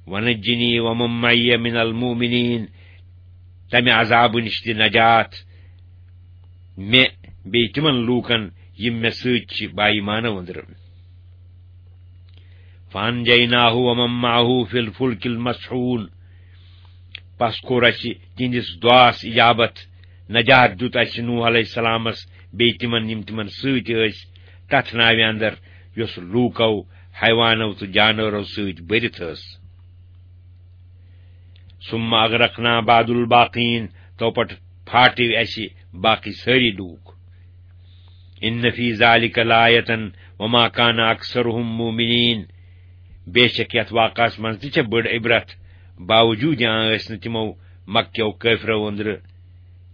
ونجنی ومن معی من المؤمنین، تمہِ عذابہٕ نِش دِ نجات مےٚ بیٚیہِ تِمن لوٗکن یِم مےٚ سۭتۍ چھِ با ایمانو أنٛدرٕ۔ فانجیناہ ومن معہ فی الفلک المشحون۔ پس کوٚر اسہِ تِہنٛدِس دعاس اجابت، نجات دیُت اسہِ نوح علیہ السلامس بیٚیہِ تِمن یِم تِمن سۭتۍ ٲسۍ تتھ ناوِ اندر یۄس لوٗکو، حیوانو تہٕ جانورو سۭتۍ بٔرِتھ ٲس۔ ثم اغرقنا بعد الباقین، تو پتہٕ پھاٹے اسہِ باقی سٲری لوٗکھ۔ ان فی ذلک لآیة وما کان اکثرهم مؤمنین، بے شک یتھ واقعس منٛز تہِ چھےٚ بٔڑ عبرت، باوجوٗد یہِ ٲسۍ نہٕ تِمو مکہ کیو کٲفرو أنٛدرٕ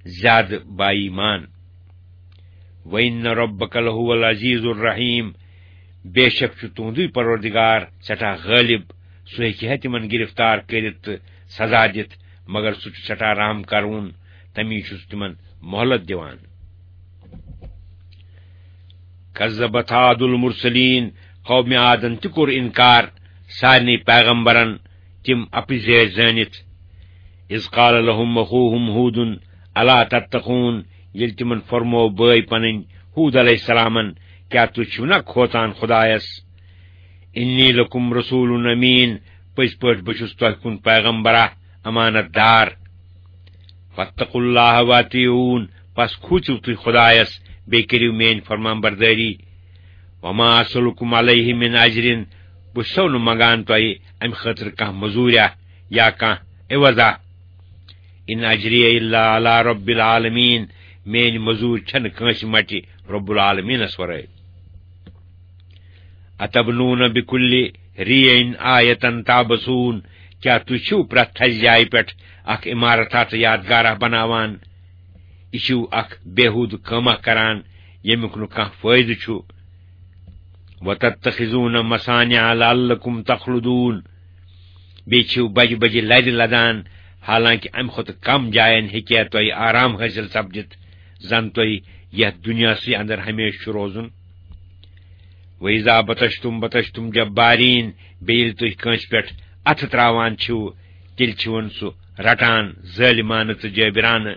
زیادٕ با ایمان۔ وَإِنَّ رَبَّكَ لَهُوَ الْعَزِيزُ الرَّحِيمُ، بے شک چھُ تُہُنٛدُے پروردگار سٮ۪ٹھاہ غٲلب، سُہ ہیٚکہِ ہے تِمن گرفتار کٔرِتھ تہٕ سزا دِتھ، مگر سُہ چھُ سٮ۪ٹھاہ رحم کرون، تمی چھُ سُہ تِمن مۄہلت دِوان۔ کذبت عاد المرسلین، قوم عادن تہِ کوٚر انکار سارنٕے پیغمبرن، تِم اپزیٲرۍ زٲنِتھ۔ اذ قال لهم اخوهم هود الا تتقون، ییٚلہِ تِمن فرموو بٲے پنٕنۍ ہود علیہ السلامن، کیٛاہ تُہۍ چھِو نا کھوژان خدایس؟ انی لکم رسول امین، پٔزۍ پٲٹھۍ بہٕ چھُس تۄہہِ کُن پیغمبرا، امانت دار۔ فاتقوا اللہ واطیعون، پس کھوٗژِو تُہۍ خدایس، بیٚیہِ کٔرِو میٲنۍ فرمان بردٲری۔ وما اسلکم علیہ من اجر، بہٕ چھُسو نہٕ منگان تۄہہِ امہِ خٲطرٕ کانٛہہ مٔزوٗریا یا کانٛہہ عوضا۔ ان اجری الا علی رب العالمین، میٲنۍ مٔزوٗرۍ چھنہٕ کٲنٛسہِ مٹہِ رب العالمینس ورٲے۔ اتبنون بکل ریع آیة تعبثون، کیٛاہ تُہۍ چھِو پرٛٮ۪تھ تھزِ جایہِ پٮ۪ٹھ اکھ عمارت تہٕ یادگارہ بناوان؟ یہِ چھِو اکھ بیہوٗدٕ کٲمہ کران، ییٚمیُک نہٕ کانٛہہ فٲیدٕ چھُ۔ وتتخذون مصانع لعلکم تخلدون، بیٚیہِ چھِو بجہِ بجہِ لرِ لدان، حالانکہ امہِ کھۄتہٕ کم جاین ہیٚکہِ ہے تۄہہِ آرام حٲصِل سپدِتھ، زن تۄہہِ یتھ دُنیاہسٕے اندر ہمیشہٕ چھُ روزُن۔ وَإِذَا بَطَشْتُمْ بَطَشْتُمْ جَبَّارِينَ، بیٚیہِ ییٚلہِ تُہۍ کٲنٛسہِ پٮ۪ٹھ اَتھٕ ترٛاوان چھِو، تیٚلہِ چھِوَن سُہ رَٹان ظٲلِمانہٕ تہٕ جٲبِرانہٕ۔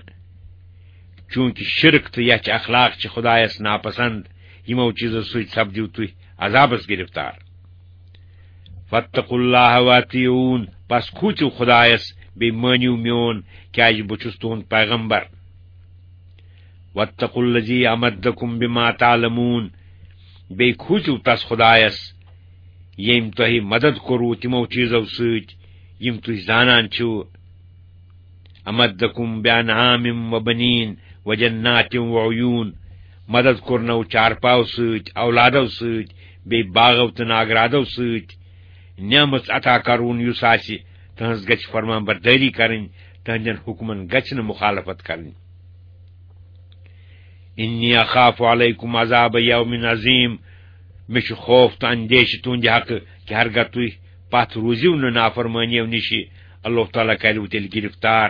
چوٗنٛکہِ شِرک تہٕ یَچھِ اخلاق چھِ خۄدایَس ناپسنٛد، یِمو چیٖزو سۭتۍ سپدِو تُہۍ عذابَس گِرفتار۔ فاتقوا اللہ واطیعون، پس کھوٗژِو خۄدایَس، بیٚیہِ مٲنِو میون، کیٛازِ بہٕ چھُس تُہُنٛد پیغمبر۔ واتقوا الذی امدکم بما تعلمون، بیٚیہِ کھوٗژِو تس خۄدایس، ییٚمۍ تۄہہِ مدد کوٚروٕ تِمو چیٖزو سۭتۍ، یِم تُہۍ زانان چھِو۔ امدکم بانعام وبنین وجنات وعیون، مدد کوٚرنو چارپاو سۭتۍ، اولادو سۭتۍ، بیٚیہِ باغو تہٕ ناگرادو سۭتۍ۔ نعمت عطا کرون یُس آسہِ، تہنٛز گژھِ فرمان بردٲری کرٕنۍ، تہنٛدٮ۪ن حُکمن گژھِ نہٕ مخالفت کرٕنۍ۔ انی اخاف علیکم عذاب یوم عظیم، مےٚ چھُ خوف تہٕ اندیشہِ تُہنٛدِ حقہٕ کہِ ہرگاہ تُہۍ پتھ روٗزِو نہٕ نافرمٲنیو نِشہِ، اللہ تعالیٰ کریو تیٚلہِ گرفتار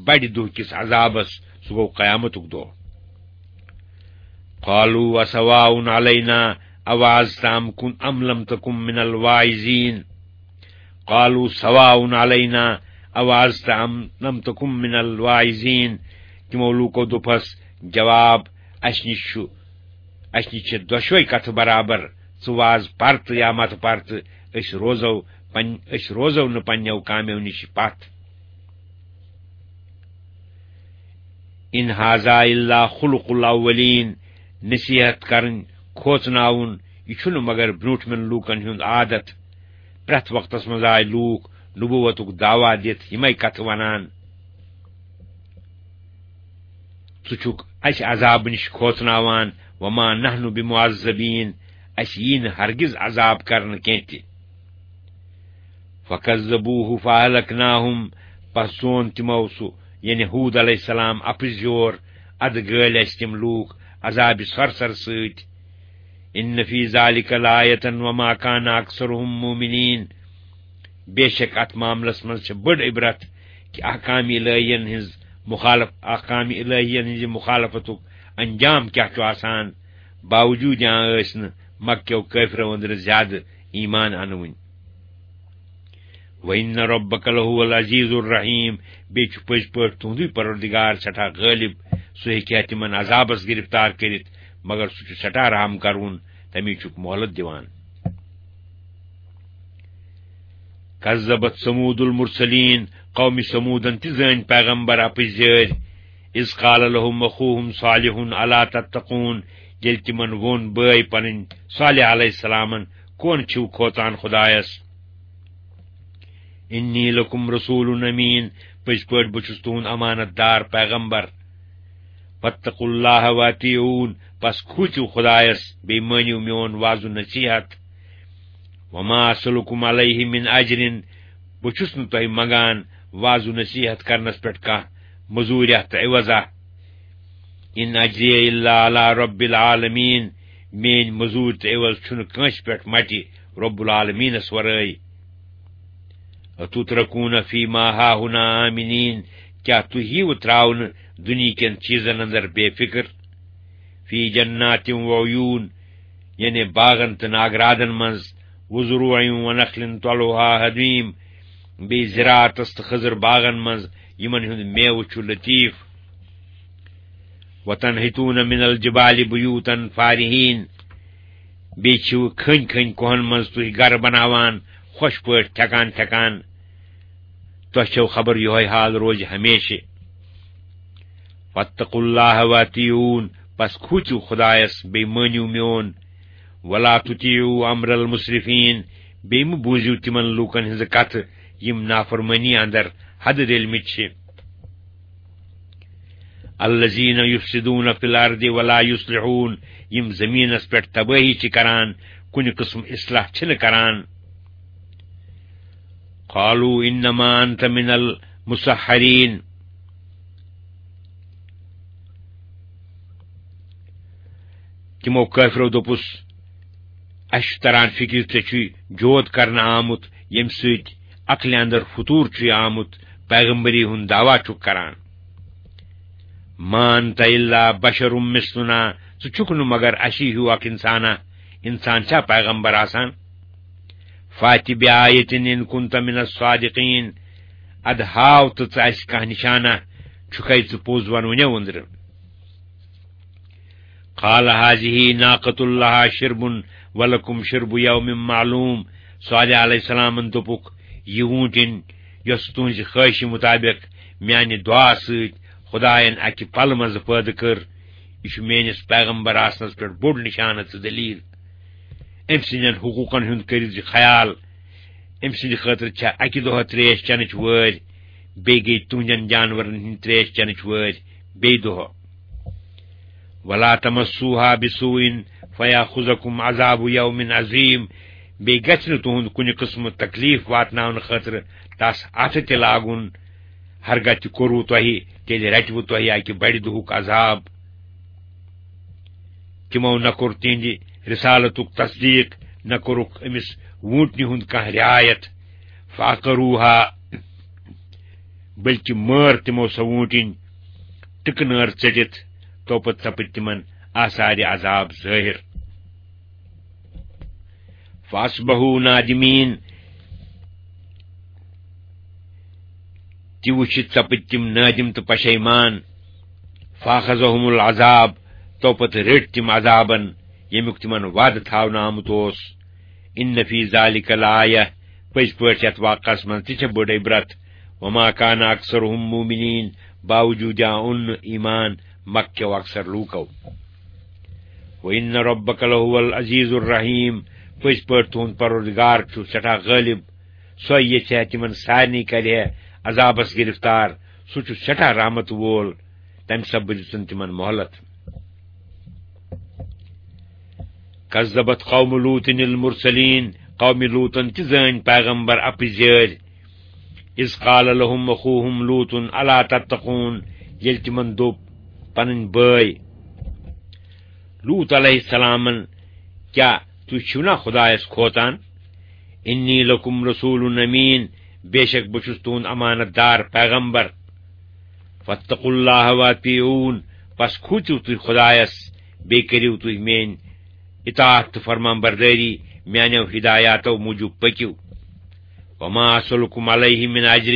بڑِ دۄہ کِس عذابس، سُہ گوٚو قیامتُک دۄہ۔ قالوا اسواء علینا اوعظت ام کن ام لم تکن من الواعظین۔ قالوا سواء علینا اوعظت ام لم تکن من الواعظین۔ تِمو لوٗکو دوٚپہس جواب، اسہِ نِش چھُ، اسہِ نِش چھِ دۄشوے کتھٕ برابر، ژٕ واز پر تہٕ یا مت پر تہٕ أسۍ روزو پن-، أسۍ روزو نہٕ پننیو کامیو نِش پتھ۔ ان ھذا الا خلق الاولین، نصیحت کرٕنۍ، کھوژناوُن، یہِ چھُنہٕ مگر برٛونٛٹھمٮ۪ن لوٗکن ہُنٛد عادت۔ پرٛٮ۪تھ وقتس منٛز آے لوٗکھ نبوتُک دعویٰ دِتھ یِمے کتھٕ ونان۔ ژٕ چھُکھ اسہِ عذابہٕ نِش کھوژناوان، وما نحن بمعذبین، اسہِ یی نہٕ ہرگز عذاب کرنہٕ کینٛہہ تہِ۔ فکذبوہ فاہلکناہم، پس زون تِمو سُہ، یعنی ہود علیہ السلام، اپزیور، ادٕ گٲلۍ اَسہِ تِم لوٗکھ عذابِ سرسر سۭتۍ۔ ان فی ذلک لآیة وما کان اکثرهم مؤمنین۔ بے شک اتھ معاملس منٛز چھِ بٔڑ عبرت کہِ احکام الہین ہٕنٛز مخالف، احکام الہین ہٕنٛزِ مخالفتُک انجام کیٛاہ چھُ آسان۔ باوجوٗد یہِ ٲسۍ نہٕ مکہ کیو کٲفرو أنٛدرٕ زیادٕ ایمان انوٕنۍ۔ وَإِنَّ رَبَّكَ لَهُوَ الْعَزِيزُ الرَّحِيمُ۔ بیٚیہِ چھُ پٔزۍ پٲٹھۍ تُہُنٛدُے پروردگار سٮ۪ٹھاہ غٲلب، سُہ ہیٚکہِ ہا تِمن عذابس گرفتار کٔرِتھ، مگر سُہ چھُ سٮ۪ٹھاہ رحم کرون، تَمی چھُکھ مۄہلت دِوان۔ کذبت ثمود المرسلین، قومِ ثمودن تہِ زٲنۍ پیغمبر اپٕزۍ زٲرۍ۔ اذ قال لهم اخوهم صالح الا تتقون، ییٚلہِ تِمن ووٚن بٲے پنٕنۍ صالح علیہ السلامن، کون چھِو کھوژان خدایس؟ انی لکم رسول امین، پٔزۍ پٲٹھۍ بہٕ چھُس تُہُنٛد امانت دار پیغمبر۔ فاتقوا اللہ واطیعون، پس کھوٗژِو خدایس، بیٚیہِ مٲنِو میون وعظ و نصیحت۔ وما اسلکم علیہ من اجر، بہٕ چھُس نہٕ تۄہہِ منگان وعظ و نصیحت کرنس پٮ۪ٹھ کانٛہہ مزوٗریا تہٕ عوضا۔ ان اجری الا علی رب العالمین، میٲنۍ مزوٗرۍ تہٕ عوض چھُنہٕ کٲنٛسہِ پٮ۪ٹھ مٹہِ رب العالمینس ورٲے۔ اتترکون فیما ہاہنا آمنین، کیٛاہ تُہۍ یِیِو ترٛاونہٕ دُنیہکٮ۪ن چیٖزن اندر بے فکر؟ فی جنات وعیون، یعنی باغن تہٕ ناگرادن منٛز، وزروع ونخل طلعها ہضیم، بیٚیہِ زراعتس تہٕ خضر باغن منٛز، یِمن ہُنٛد میوٕ چھُ لطیف۔ وتنحتون من الجبال بیوتا فارہین، بیٚیہِ چھِو کھٔنۍ کھٔنۍ کوہن منٛز تُہۍ گرٕ بناوان، خۄش پٲٹھۍ تھٮ۪کان تھٮ۪کان۔ تۄہہِ چھَو خبر یِہوٚے حال روزِ ہمیشہِ۔ فاتقوا اللہ واطیعون، پس کھوٗژِو خدایس، بیٚیہِ مٲنِو میون۔ ولا تطیعوا امر المسرفین، بیٚیہِ مہٕ بوٗزِو تِمن لوٗکن ہٕنٛزٕ کتھٕ، یِم نافرمٲنی اندر حدٕ ریلمٕتۍ چھِ۔ الذین یفسدون فی الارض ولا یصلحون، یِم زمینس پٮ۪ٹھ تبٲہی چھِ کران، کُنہِ قٕسم اصلاح چھِنہٕ کران۔ قالوا انما انت من المسحرین، تِمو کٲفرو دوٚپُس، اَسہِ چھُ تران فِکرِ، ژےٚ چھُے جود کرنہٕ آمُت، ییٚمہِ سۭتۍ عقلہِ اندر فطور چھُے آمُت، پیغمبری ہُنٛد دعویٰ چھُکھ کران۔ ما انت الا بشر مثلنا، ژٕ چھُکھ نہٕ مگر اَسی ہیوٗ اکھ انسانا، انسان چھا پیغمبر آسان؟ فات بآیة ان کنت من الصادقین، ادٕ ہاو تہٕ ژٕ اَسہِ کانٛہہ نشانہ، چھُکھے ژٕ پوٚز ونوٕنیو أنٛدرٕ۔ قال هذه ناقة لها شرب ولكم شرب يوم معلوم۔ صالح علیہ السلامن دوٚپُکھ، یہِ ووٗنٛٹِن، یۄس تُہٕنٛزِ خٲہشہِ مُطابق میانہِ دُعا سۭتۍ خدایَن اَکہِ پلہٕ منٛزٕ پٲدٕ کٔر، یہِ چھُ میٲنِس پیغمبر آسنس پٮ۪ٹھ بوٚڑ نشانہٕ تہٕ دلیل۔ أمۍ سٕنٛدٮ۪ن حقوٗقن ہُنٛد کٔرِو زِ خیال۔ أمۍ سٕنٛدِ خٲطرٕ چھےٚ اَکہِ دۄہہ تریش چٮ۪نٕچ وٲرۍ، بیٚیہِ گٔیہِ تُہنٛدٮ۪ن جانورن ہٕنٛدِ تریش چٮ۪نٕچ وٲرۍ بیٚیہِ دۄہہ۔ ولا تمسوها بسوء فيأخذكم عذاب يوم عظيم۔ بیٚیہِ گژھِ نہٕ تُہُنٛد کُنہِ قٕسمہٕ تکلیف واتناونہٕ خٲطرٕ تس اَتھٕ تہِ لاگُن۔ ہرگاہ تہِ کوٚروٕ تۄہہِ، تیٚلہِ رٹِوٕ تۄہہِ اَکہِ بڑِ دۄہُک عذاب۔ تِمو نہ کوٚر تِہنٛدِ رسالتُک تصدیق، نہ کوٚرُکھ أمِس ووٗنٛٹنہِ ہُنٛد کانٛہہ رعایت۔ فعقروها، بلکہ مٲر تِمو سۄ ووٗنٛٹِنۍ ٹِکہٕ نٲر ژٔٹِتھ، تو پتہٕ سپٕدۍ تِمن آثارِ عذاب ظٲہِر۔ فاصبحوا نادمین، تہِ وٕچھِتھ سپٕدۍ تِم نٲدِم تہٕ پشیمان۔ فاخذہم العذاب، تو پتہٕ رٔٹۍ تِم عذابن، ییٚمیُک تِمن وعدٕ تھاونہٕ آمُت اوس۔ ان فی ذلک لآیہ، پٔزۍ پٲٹھۍ یتھ واقعس منٛز تہِ چھےٚ بٔڑ عبرت۔ وما کان اکثرہم مؤمنین، باوجوٗد آو نہٕ ایمان مکہ کیو اکثر لوٗکو۔ وان ربک لہو العزیز الرحیم، پٔزۍ پٲٹھۍ تُہُنٛد پروردگار چھُ سٮ۪ٹھاہ غٲلب، سۄے یژھِ ہا تِمن سارنٕے کرِ ہے عذابس گرفتار، سُہ چھُ سٮ۪ٹھاہ رحمت وول، تمہِ سببہٕ دِژٕن تِمن مۄہلت۔ کذبت قوم لوط المرسلین، قومِ لوطن تہِ زٲنۍ پیغمبر اپٕزۍ یٲرۍ۔ اذ قال لهم اخوهم لوط الا تتقون، ییٚلہِ تِمن دوٚپ، پنٕنۍ بٲے۔ لوط علیہ السلامن، کیٛاہ تُہۍ چھِو نا خدایس کھوژان؟ انی لکم رسول امین، بے شک بہٕ چھُس تُہُنٛد امانت دار پیغمبر۔ فاتقوا اللہ واطیعون، پس کھوٗژِو تُہۍ خدایس، بیٚیہِ کٔرِو تُہۍ میٲنۍ اطاعت تہٕ فرمان بردٲری، میانیو ہدایاتو موٗجوٗب پٔکِو۔ وما اسلکم علیہ من اجر،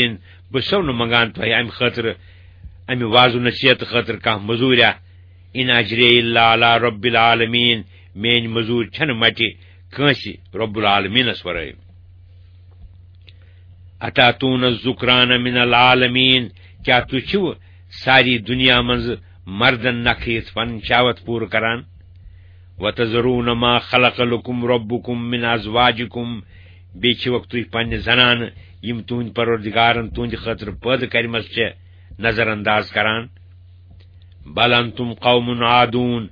بہٕ چھُسو نہٕ منگان تۄہہِ امہِ خٲطرٕ، امہِ وعظ و نصیحت خٲطرٕ کانٛہہ مٔزوٗریا۔ ان اجری الا علی رب العالمین، میٲنۍ مٔزوٗرۍ چھنہٕ مٹہِ کٲنٛسہِ رب العالمینس ورٲے۔ اتاتون الذکران من العالمین، کیٛاہ تُہۍ چھِو ساری دُنیا منٛز مردن نکھٕ یِتھ پنٕنۍ شہوت پوٗرٕ کران؟ وتذرون ما خلق لکم ربکم من ازواجکم، بیٚیہِ چھِوکھ تُہۍ پننہِ زنانہٕ، یِم تُہنٛدۍ پروردگارن تُہنٛدِ خٲطرٕ پٲدٕ کرِمژٕ چھےٚ، نظر انداز کران؟ بل انتم قوم عادون،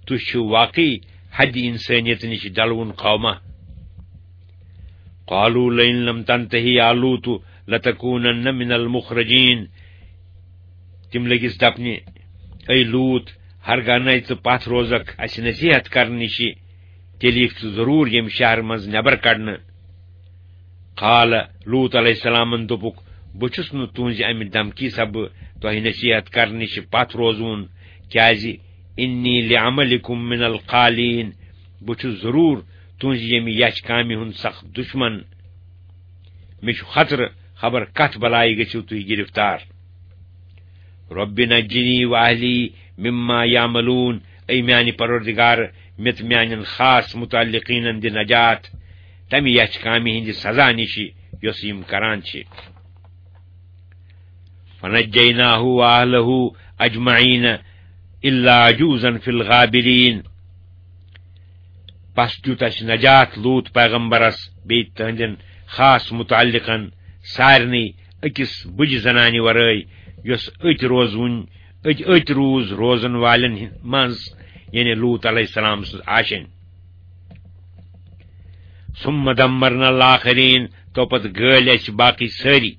تُہۍ چھِو واقعی حد انسٲنیت نِش ڈلوُن قوما۔ قالوا لئن لم تنتهي يا لوط لتكونن من المخرجين۔ تِم لٔگِس دپنہِ، اے لوط، ہرگاہ نَے ژٕ پتھ روزکھ اسہِ نصیحت کرنہٕ نِشہِ، تیٚلہِ یِکھ ژٕ ضروٗر ییٚمہِ شہرٕ منٛز نٮ۪بر کڑنہٕ۔ قال، لوط علیہ السلامن دوٚپُکھ، بہٕ چھُس نہٕ تُہنٛزِ امہِ دھمکی سببہٕ تۄہہِ نصیحت کرنہٕ نِشہِ پتھ روزوُن، کیازِ انی لعملکم من القالین، بہٕ چھُس ضروٗر تُہنٛزِ ییٚمہِ یچھ کامہِ ہُنٛد سخت دُشمن۔ مےٚ چھُ خطرٕ، خبر کتھ بلایہِ گٔژھِو تُہۍ گرفتار۔ رب نجنی و اہلی مما یعملون، اے میانہِ پروردگار، مےٚ تہٕ میانٮ۪ن خاص متعلقینن دِ نجات تمہِ یچھ کامہِ ہٕنٛدِ سزا نِشہِ یۄس یِم کران چھِ۔ فنجیناہ و اہلہ اجمعین الا عجوزا فی الغابرین۔ پس دیُت اسہِ نجات لوط پیغمبرس بیٚیہِ تہنٛدٮ۪ن خاص متعلقن سارنٕے، أکِس بُجہِ زنانہِ ورٲے، یۄس أتۍ روزوٕنۍ، أتۍ، أتۍ روٗز روزن والٮ۪ن ہِن-، منٛز، یعنی لوط علیہ السلام سٕنٛز آشینۍ۔ ثم دمرنا الآخرین، تو پتہٕ گٲلۍ اسہِ باقٕے سٲری۔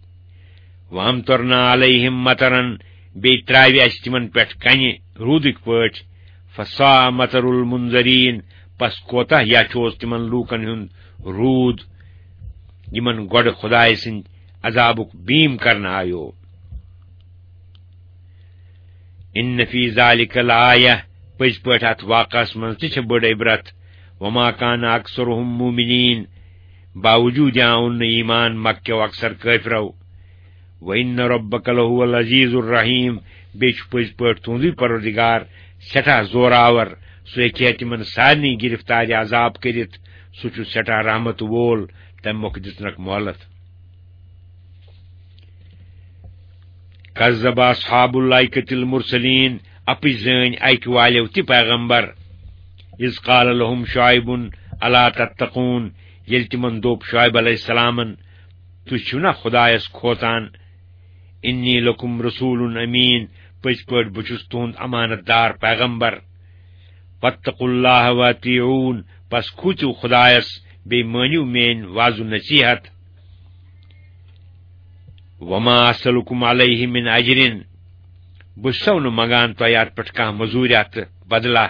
وامطرنا علیہم مطرا، بیٚیہِ ترٛاوِ اسہِ تِمن پٮ۪ٹھ کنہِ روٗدٕکۍ پٲٹھۍ۔ فساء مطر المنذرین، پس کوتاہ یچھ اوس تِمن لوٗکن ہُنٛد روٗد، یِمن گۄڈٕ خدایہِ سٕنٛدِ عذابُک بیٖم کرنہٕ آیو۔ ان فی ذلک لآیہ، پٔزۍ پٲٹھۍ اتھ واقعس منٛز تہِ چھِ بٔڑ عبرت۔ وما کان اکثرہم مؤمنین، باوجود آو نہٕ ایمان مکہ کیو اکثر کٲفرو۔ وان ربک لہو العزیز الرحیم، بیٚیہِ چھُ پٔزۍ پٲٹھۍ تُہنٛدُے پروردگار سٮ۪ٹھاہ زورآور، سُہ ہیٚکہِ ہے تِمن سارنٕے گرفتارِ عذاب کٔرِتھ، سُہ چھُ سٮ۪ٹھاہ رحمت وول، تمہِ مۄکھٕ دِژنکھ مۄہلت۔ کذب اصحاب الایکۃ المرسلین، اپٕز زٲنۍ ایکہِ والیو تہِ پیغمبر۔ اذ قال لهم شعیب الا تتقون، ییٚلہِ تِمن دوٚپ شعیب علیہ السلامن، تُہۍ چھِو نا خدایس کھوژان؟ انی لکم رسول امین، پٔزۍ پٲٹھۍ بہٕ چھُس تُہُنٛد امانت دار پیغمبر۔ واتقوا اللہ واطیعون، پس کھوٗژِو خدایس، بیٚیہِ مٲنِو میٲنۍ وعظ و نصیحت۔ وما اسلکم علیہ من اجر، بہٕ چھُسو نہٕ منگان تۄہہِ اتھ پٮ۪ٹھ کانٛہہ مٔزوٗریا تہٕ بدلہ۔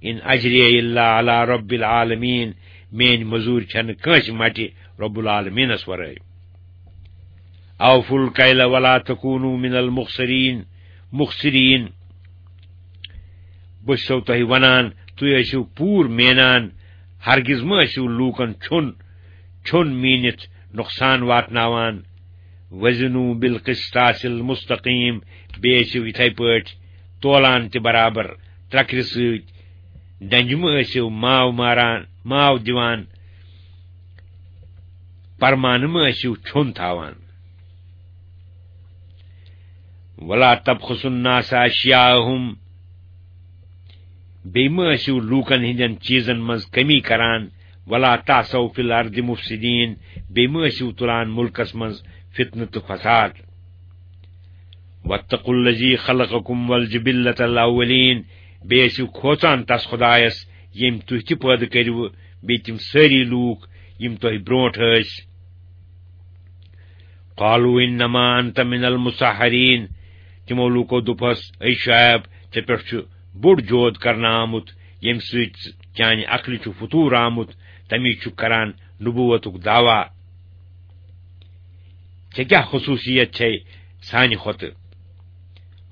ان اجری الا علی رب العالمین، میٲنۍ مٔزوٗرۍ چھنہٕ کٲنٛسہِ مٹہِ رب العالمینس ورٲے۔ اوفوا الکیل ولا تکونوا من المخسرین، مخسرین۔ بہٕ چھُسو تۄہہِ ونان، تُہۍ ٲسِو پوٗرٕ مینان، ہرگز مہ ٲسِو لوٗکن چھوٚن، چھوٚن میٖنِتھ نۄقصان واتناوان۔ وزنوا بالقسطاس المستقیم، بیٚیہِ ٲسِو یِتھے پٲٹھۍ تولان تہِ برابر ترکرِ سۭتۍ۔ ڈنجہِ مہ ٲسِو ماو ماران، ماو دِوان، پرمانہٕ مہ ٲسِو چھوٚن تھاوان۔ ولا تبخسوا الناس اشیاءہم، بیٚیہِ مہ ٲسِو لوٗکن ہٕنٛدٮ۪ن چیٖزن منٛز کمی کران۔ ولا تعثوا فی الارض مفسدین، بیٚیہِ مہ ٲسِو تُلان مُلکس منٛز فتنہٕ تہٕ فساد۔ واتقوا الذی خلقکم والجبلۃ الاولین، بیٚیہِ ٲسِو کھوژان تس خدایس، ییٚمۍ تُہۍ تہِ پٲدٕ کٔرِوٕ، بیٚیہِ تِم سٲری لوٗکھ، یِم تۄہہِ برونٛٹھ ٲسۍ۔ قالوا انما انت من المسحرین، تِمو لوٗکو دوٚپہس، اے شعیب، ژےٚ پٮ۪ٹھ چھُ بوٚڑ جود کرنہٕ آمُت، ییٚمہِ سۭتۍ چانہِ عقلہِ چھُ فطور آمُت، تَمی چھُ کران نبوتُک دعویٰ۔ ژےٚ کیٛاہ خصوٗصیت چھے سانہِ کھۄتہٕ؟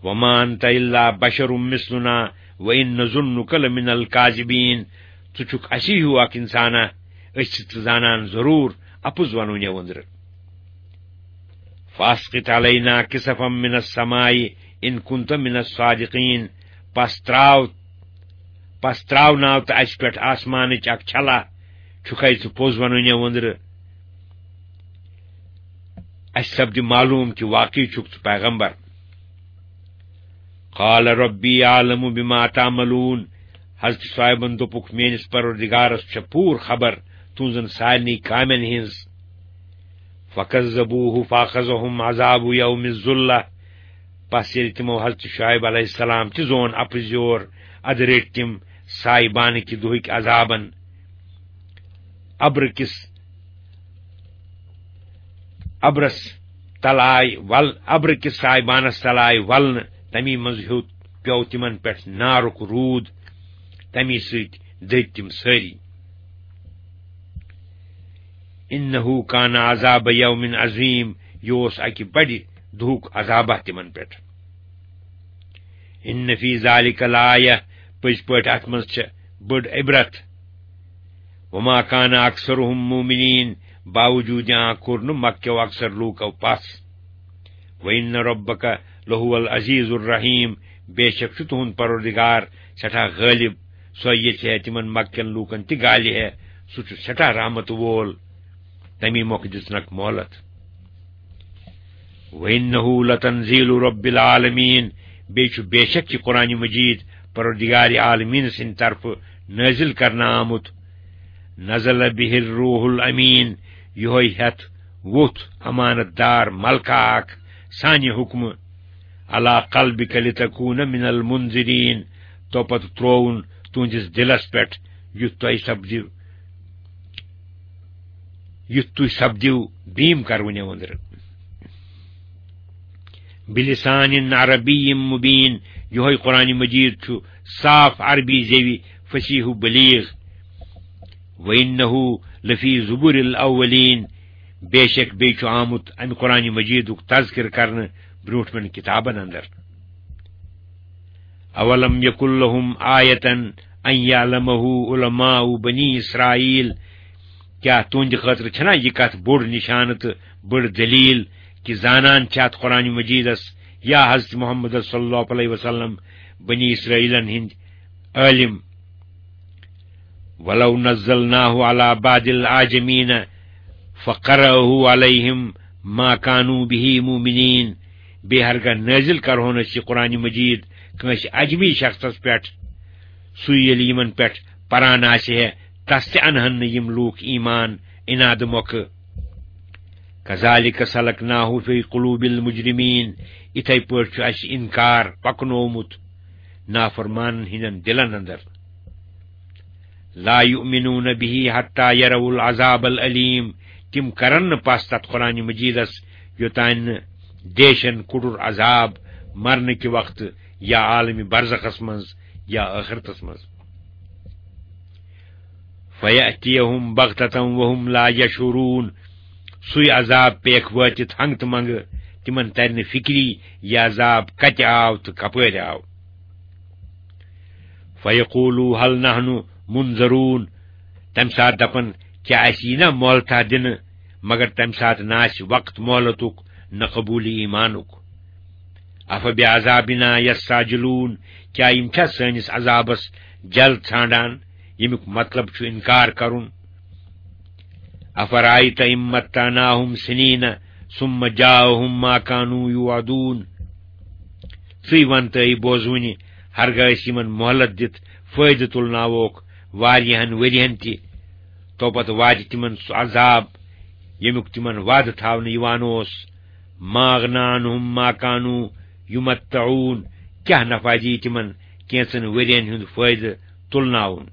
وما انت الا بشر مثلنا وان نظنک لمن الکاذبین۔ ژٕ چھُکھ اسی ہیوٗ اکھ انسانا، أسۍ چھِ ژٕ زانان ضروٗر اپُز ونوٕنۍ وۄندرٕ۔ فاسقط علینا کسفا من السماء ان کنت من الصادقین۔ پس تراو، پس تراوناو تہٕ اسہِ پٮ۪ٹھ آسمانٕچ اکھ چھلہ، چھُکھے ژٕ پوٚز ونوٕنۍ وۄندرٕ؟ اسہِ سپدِ معلوم کہِ واقعی چھُکھ ژٕ پیغمبر۔ قال ربی اعلم بما تعملون۔ حضرت شعیبن دوٚپُکھ، میٲنِس پروردگارس چھےٚ پوٗرٕ خبر تُہنزن سارنٕے کامٮ۪ن ہٕنز۔ فکذبوہ فاخذہم عذاب یوم الذلہ۔ پس ییٚلہِ تِمو حضرت شعیب علیہ السلام تہِ زون اپٕز یور، ادٕ رٔٹۍ تِم سایبانہٕ کہِ دۄہٕکۍ عذابن۔ ابرٕ کِس، ابرس تل آے ول، ابرٕ کِس سایبانس تل آے ولنہٕ، تمی منٛز ہیوٚت پیوٚو تِمن پٮ۪ٹھ نارُک روٗد، تمی سۭتۍ دٔدۍ تِم سٲری۔ انہ کان عذاب یوم عظیم، یہِ اوس اکہِ بڑِ دُہُک عذابہ تِمن پٮ۪ٹھ۔ ان فی ذلک لآیہ، پٔزۍ پٲٹھۍ اتھ منٛز چھےٚ بٔڑ عبرت۔ وما کان اکثرہم مؤمنین، باوجود آں کوٚر نہٕ مکہ کیو اکثر لوٗکو پس۔ وان ربک لہو العزیز الرحیم، بے شک چھُ تُہُنٛد پروردگار سٮ۪ٹھاہ غٲلب، سۄ ییٚژھِ ہے تِمن مکہ کٮ۪ن لوٗکن تہِ گالہِ ہے، سُہ چھُ سٮ۪ٹھاہ رحمت وول، تمی مۄکھٕ دِژنکھ مۄہلت۔ وَإِنَّهُ لَتَنزِيلُ رَبِّ الْعَالَمِينَ، بیٚیہِ چھُ بے شک یہِ قرآن مجید پروردگار عالمین سٕنٛدِ طرفہٕ نٲزِل کرنہٕ آمُت۔ نَزَلَ بِهِ الرُّوحُ الْأَمِينُ، یِہوٚے ہٮ۪تھ ووٚتھ امانت دار ملکہ اکھ سانہِ حُکمہٕ۔ عَلَىٰ قَلْبِكَ لِتَكُونَ مِنَ الْمُنذِرِينَ، تو پتہٕ ترووُن تُہنٛدِس دِلس پٮ۪ٹھ، یُتھ تۄہہِ سپدِو، یُتھ تُہۍ سپدِو بیٖم کرونہِ أنٛدرٕ۔ بِلِسانٍ عَرَبِيٍّ مُبیٖن، یِہوٚے قرآن مجید چھُ صاف عربی زیوِ فصیح و بلیغ۔ وَإِنَّهُ لَفِي زُبُرِ الْأَوَّلِينَ، بے شک بیٚیہِ چھُ آمُت اَمہِ قرآن مجیدُک تذکر کرنہٕ برٛونٛٹھمٮ۪ن کِتابن اندر۔ اولم یکن لہم آیة ان یعلمہ علماء بنی اسرائیل، کیا تہنٛدِ خٲطرٕ چھنا یہِ کتھ بوٚڑ نشانہٕ تہٕ بٔڑ دلیل کہِ زانان چھِ اتھ قرآن مجیدس یا حضرت محمد صلی اللہ علیہ وسلم بنی اسرائیلن ہٕنٛدۍ عٲلم؟ ولو نزلناه على بعض الأعجمين فقرأه عليهم ما كانوا به مؤمنين۔ بیٚیہِ ہرگاہ نٲزِل کرہون أسۍ یہِ قرآن مجید کٲنٛسہِ عجمی شخصس پٮ۪ٹھ، سُے ییٚلہِ یِمن پٮ۪ٹھ پران آسہِ ہے، تس تہِ انہن نہٕ یِم لوٗکھ ایمان انادٕ مۄکھٕ۔ كذلك سلكناه في قلوب المجرمين، یِتھے پٲٹھۍ چھُ اسہِ انکار پکنوومُت نافرمانن ہٕنٛدٮ۪ن دِلن اندر۔ لا يؤمنون به حتى يروا العذاب الأليم، تِم کرن نہٕ پس تتھ قرآن مجیدس یوٚتانۍ نہٕ دیشن کُٹُر عذاب مرنہٕ کہِ وقتہٕ یا عالم برزخس منٛز یا ٲخرتس منٛز۔ فیأتیہم بغتة وہم لا یشعرون، سُے عذاب پیکھ وٲتِتھ ہنگ تہٕ منگہٕ، تِمن ترِ نہٕ فکری یہِ عذاب کتہِ آو تہٕ کپٲرۍ آو۔ فیقولوا هل نحن منظرون، تمہِ ساتہٕ دپن، کیٛاہ اسہِ یی نا مۄہلتھا دِنہٕ؟ مگر تمہِ ساتہٕ نہ آسہِ وقت مۄہلتُک نہ قبوٗل ایمانُک۔ افبعذابنا یستعجلون، کیٛاہ یِم چھا سٲنِس عذابس جلد ژھانڈان، ییٚمیُک مطلب چھُ انکار کرُن؟ افرأیت ان متعناہم سنین ثم جاءہم ما کانوا یوعدون۔ ژٕے وَن تہٕ اے بوزوٕنہِ، ہرگاہ أسۍ یِمن مۄہلت دِتھ فٲیدٕ تُلناووکھ واریاہن ؤرۍیَن تہِ، تو پتہٕ واتہِ تِمن سُہ عذاب، ییٚمیُک تِمن وعدٕ تھاونہٕ یِوان اوس۔ ما اغنی عنہم ما کانوا یمتعون، کیٛاہ نفع دی تِمن کینٛژن ؤرۍیَن ہُنٛد فٲیدٕ تُلناوُن؟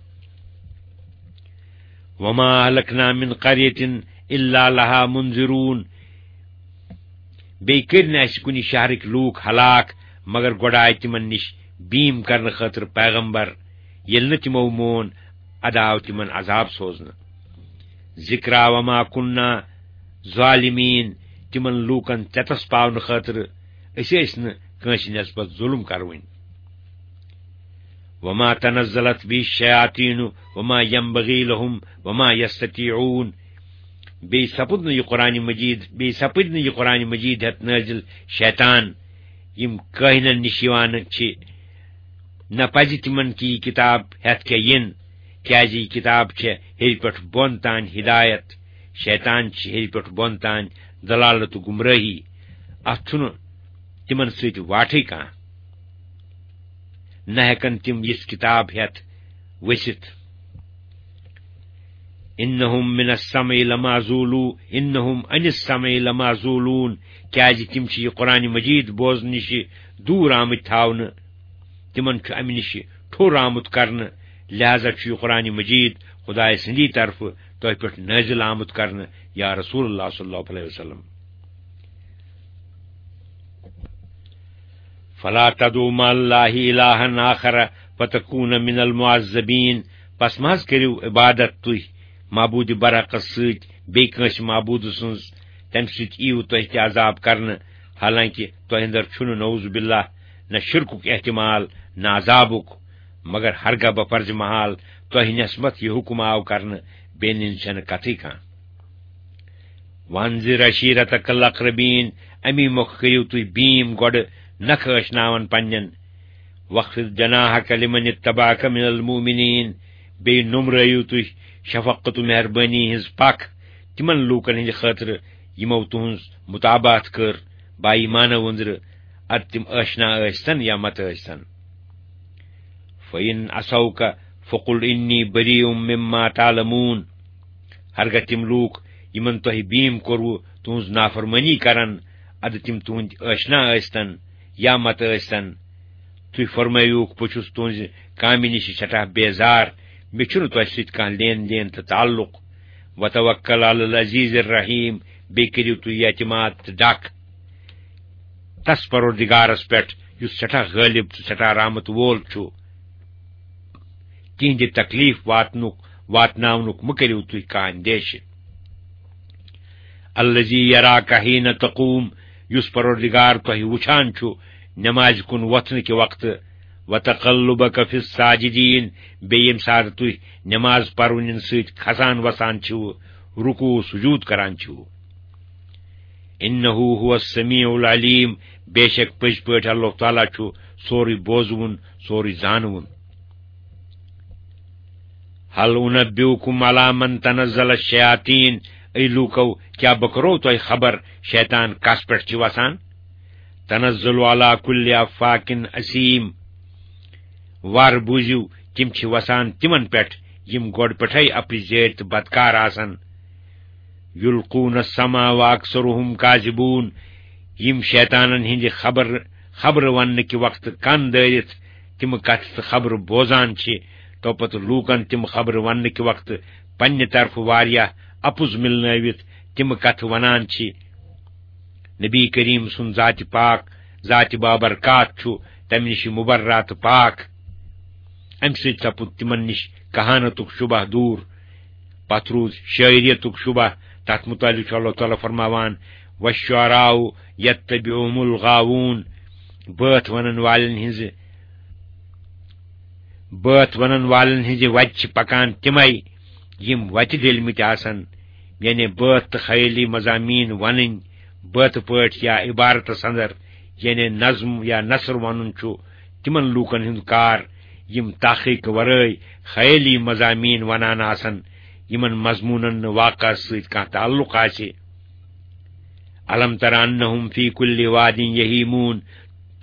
وما اہلکنا من قریة الا لها منذرون، بیٚیہِ کٔرۍ نہٕ اَسہِ کُنہِ شہرٕکۍ لوٗکھ ہلاک، مگر گۄڈٕ آے تِمن نِش بیٖم کرنہٕ خٲطرٕ پیغمبر، ییٚلہِ نہٕ تِمو مون، اَدٕ آو تِمن عذاب سوزنہٕ۔ ذِکرا وما کُننا ظالمین، تِمن لوٗکن ژٮ۪تس پاونہٕ خٲطرٕ، أسۍ ٲسۍ نہٕ کٲنٛسہِ نسبت ظُلم کروٕنۍ۔ وما تنزلت به الشیاطین وما ينبغي لهم وما يستطيعون۔ بیٚیہِ سپُد نہٕ یہِ قرآن مجید، بیٚیہِ سپٕدۍ نہٕ یہِ قرآن مجید ہٮ۪تھ نٲزِل شیطان، یِم کٲہِنن نِش یِوان چھِ۔ نہ پزِ تِمن کہِ یہِ کتاب ہٮ۪تھ کیٛاہ یِن، کیٛازِ یہِ کتاب چھےٚ ہیٚرِ پٮ۪ٹھ بۄن تام ہدایت، شیطان چھِ ہیٚرِ پٮ۪ٹھ بۄن تام ضلالت و گمراہی۔ اتھ چھُنہٕ تِمن سۭتۍ واٹھٕے کانٛہہ۔ نہ ہٮ۪کن تِم یِژھ کتاب ہٮ۪تھ ؤسِتھ۔ انہم من السمع لمعزولو، انہم عن السمع لمعزولون، کیازِ تِم چھِ یہِ قرآن مجید بوزنہٕ نِش دوٗر آمٕتۍ تھاونہٕ، تِمن چھُ امہِ نِش ٹھوٚر آمُت کرنہٕ، لہذا چھُ یہِ قرآن مجید خدایہِ سٕنٛدی طرفہٕ تۄہہِ پٮ۪ٹھ نٲزِل آمُت کرنہٕ، یا رسول اللہ صلی اللہ علیہ وسلم۔ فلا تدعوا مع الله إلها آخر فتكون من المعذبين۔ پس مہ حظ کٔرِو عبادت تُہۍ معبوٗدِ برحقس سۭتۍ بیٚیہِ کٲنٛسہِ معبوٗدٕ سٕنٛز، تمہِ سۭتۍ یِیِو تۄہہِ تہِ عذاب کرنہٕ، حالانکہِ تۄہہِ اندر چھُنہٕ نعوذ باللہ نہ شرکُک احتمال نہ عذابُک، مگر ہرگاہ بفرض محال تۄہہِ نسبت یہِ حکم آو کرنہٕ، بیٚیہِ نِنہٕ چھنہٕ کتھٕے کانٛہہ۔ وانذر عشیرتک الاقربین، امی مۄکھٕ کٔرِو تُہۍ بیٖم گۄڈٕ نکھٕ ٲشناون پننٮ۪ن۔ واخفض جناحک لمن اتبعک من المؤمنین، بیٚیہِ نومرٲیِو تُہۍ شفقت و مہربٲنی ہٕنٛز پکھ تِمن لوٗکن ہٕنٛدِ خٲطرٕ یِمو تُہٕنٛز متابعت کٔر، با ایمانو أنٛدرٕ، ادٕ تِم ٲشنا ٲسۍتن یا مت ٲسۍتن۔ فَإِنْ عَصَوْكَ فَقُلْ إِنِّي بَرِيءٌ مِّمَّا تَعْلَمُونَ۔ ہرگاہ تِم لوٗکھ یِمن تۄہہِ بیٖم کوٚروٕ تُہٕنٛز نافرمٲنی کرن، ادٕ تِم تُہٕنٛدۍ ٲشنا ٲسۍتن یا مت ٲسۍتن، تُہۍ فرمٲیوُکھ، بہٕ چھُس تُہٕنٛزِ کامہِ نِش سٮ۪ٹھاہ بیزار، مےٚ چھُنہٕ تۄہہِ سۭتۍ کانٛہہ لین دین تہٕ تعلق۔ وَتَوَكَّلْ عَلَى الْعَزِيزِ الرَّحِيمِ، بیٚیہِ کٔرِو تُہۍ اعتماد تہٕ ڈکھ تس پروردگارس پٮ۪ٹھ، یُس سٮ۪ٹھاہ غٲلب تہٕ سٮ۪ٹھاہ رحمت وول چھُ۔ تِہنٛدِ تکلیف واتنُک، واتناونُک مہٕ کٔرِو تُہۍ کانٛہہ اندیشہِ۔ الذي يراك حين تقوم، یُس پروردگار تۄہہِ وُچھان چھُ نمازِ کُن وۄتھنہٕ کہِ وقتہٕ، وتقلبك في الساجدين، بیٚیہِ ییٚمہِ ساتہٕ تُہۍ نماز پرونٮ۪ن سۭتۍ کھسان وسان چھِو، رکوع سجود کران چھِو۔ انه هو السميع العليم، بے شک پٔزۍ پٲٹھۍ اللہ تعالیٰ چھُ سورُے بوزوُن، سورُے زانوُن۔ هل انبئكم على من تنزل الشياطين، اے لوٗکو، کیٛاہ بہٕ کرو تۄہہِ خبر شیطان کس پٮ۪ٹھ چھِ وسان؟ تنزل على كل افاك اثيم، وار بوٗزِو، تِم چھِ وسان تِمن پٮ۪ٹھ یِم گۄڈٕ پٮ۪ٹھے اپرزیٲرۍ تہٕ بدکار آسن۔ یلقون السمع واکثرهم کاذبون، یِم شیطانن ہٕنٛدِ خبر، خبرٕ وننہٕ کہِ وقتہٕ کن دٲرِتھ تِم کتھٕ تہٕ خبرٕ بوزان چھِ، توپتہٕ لوٗکن تِم خبرٕ وننہٕ کہِ وقتہٕ پننہِ طرفہٕ واریاہ اپُز مِلنٲوِتھ تِم کتھٕ ونان چھِ۔ نبی کریم سُنٛد ذاتِ پاک، ذاتِ بابرکات چھُ تمہِ نِش مبرہ تہٕ پاک۔ امہِ سۭتۍ سپُد تِمن نِش کہانتُک شبہ دوٗر۔ پتھ روٗد شٲعریتُک شبہ۔ تتھ متعلق چھُ اللہ تعالیٰ فرماوان، "والشعراء يتبعهم الغاوون"، بٲتھ ونن والٮ۪ن ہٕنٛزِ، بٲتھ ونن والٮ۪ن ہٕنٛزِ وتہِ چھِ پکان تِمے، یِم وتہِ ڈٔلمٕتۍ آسن، یعنی بٲتھ تہٕ خیٲلی مضامین ونٕنۍ، بٲتھ پٲٹھۍ یا عبارتس اندر، یعنی نظم یا نثر ونُن چھُ تِمن لوٗکن ہُنٛد کار، یِم تحقیق ورٲے خیٲلی مضامین ونان آسن، یِمن مضموٗنن نہٕ واقعس سۭتۍ کانٛہہ تعلق آسہِ۔ الم تر انہم فی کل واد یہیمون،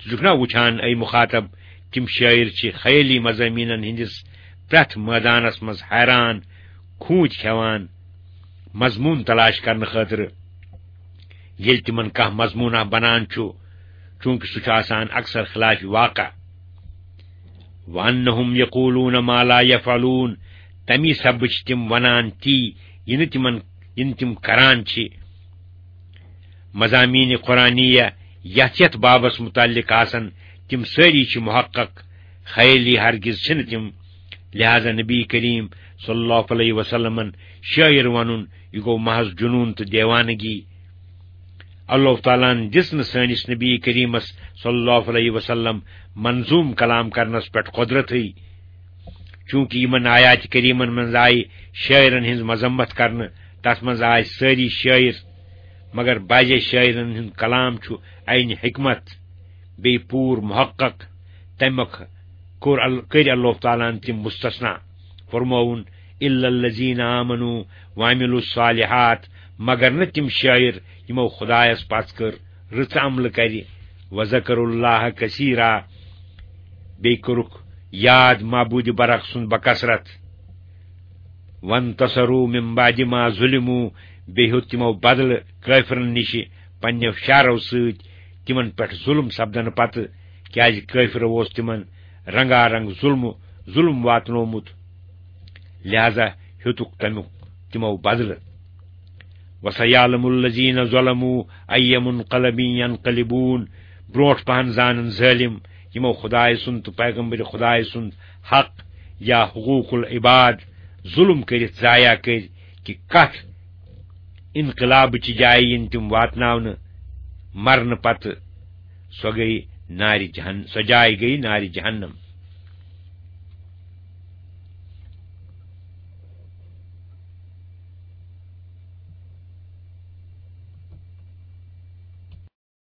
ژٕ چھُکھ نا وُچھان، اے مخاطب، تِم شٲعر چھِ خیٲلی مضامینن ہٕنٛدِس پرٛٮ۪تھ مٲدانس منٛز حیران، کھوٗژ کھٮ۪وان، مضموٗن تلاش کرنہٕ خٲطرٕ، ییٚلہِ تِمن کانٛہہ مضموٗنہ بنان چھُ، چونکہ سُہ چھُ آسان اکثر خلاف واقع۔ وانہم یقولون ما لا یفعلون، تمی سببہٕ چھِ تِم ونان تی، یہِ نہٕ تِمن، یہِ نہٕ تِم کران چھِ۔ مضامین قرآنیہ یتھ یتھ بابس متعلق آسن، تِم سٲری چھِ محقق خیٲلی ہرگز چھِنہٕ تِم۔ لہذا نبی کریم صلی اللہ علیہ وسلمن شٲعر ونُن، یہِ گوٚو محض جنون تہٕ دیوانگی۔ اللہ تعالیٰ ہن دِژ نہٕ سٲنِس نبی کریمس صلی اللہ علیہ وسلم منظوم کلام کرنس پٮ۪ٹھ قدرتٕے، چونکہ یِمن آیات کریمن منٛز آیہِ شٲعرن ہٕنٛز مذمت کرنہٕ، تتھ منٛز آے سٲری شٲعر، مگر بعضے شٲعرن ہُنٛد کلام چھُ عین حکمت، بیٚیہِ پوٗرٕ محقق، تمیُک کوٚر ال-، کٔرۍ اللہ تعالیٰ ہن تِم مستثنا۔ فرمووُن، "الا الذین آمنوا وعملوا الصالحات"، مگر نہٕ تِم شٲعر یِمو خدایس پژھ کٔر، رٕژ عملہٕ کرِ، "وذکروا اللہ کثیرا"، بیٚیہِ کوٚرُکھ یاد معبود برحق سُنٛد بکثرت، "وانتصروا من بعد ما ظلموا"، بیٚیہِ ہیوٚت تِمو بدلہٕ کٲفرن نِش پننیو شعرو سۭتۍ تِمن پٮ۪ٹھ ظلم سپدنہٕ پتہٕ، کیازِ کٲفرو اوس تِمن رنگا رنگ ظلم، ظلم واتنومُت، لہذا ہیوٚتُکھ تمیُک تِمو بدلہٕ۔ "وسیعلم الذین ظلموا ای منقلب ینقلبون"، برونٹھ پہن زانن ظٲلم یِمو خدایہِ سُنٛد تہٕ پیغمبر خدایہِ سُنٛد حق یا حقوق العباد ظلم کٔرِتھ ضایع کٔرۍ، کہِ کتھ انقلابٕچہِ جایہِ یِن تِم واتناونہٕ مرنہٕ پتہٕ۔ سۄ گٔیہِ نارِ جہن-، سۄ جاے گٔیہِ نارِ جہنم۔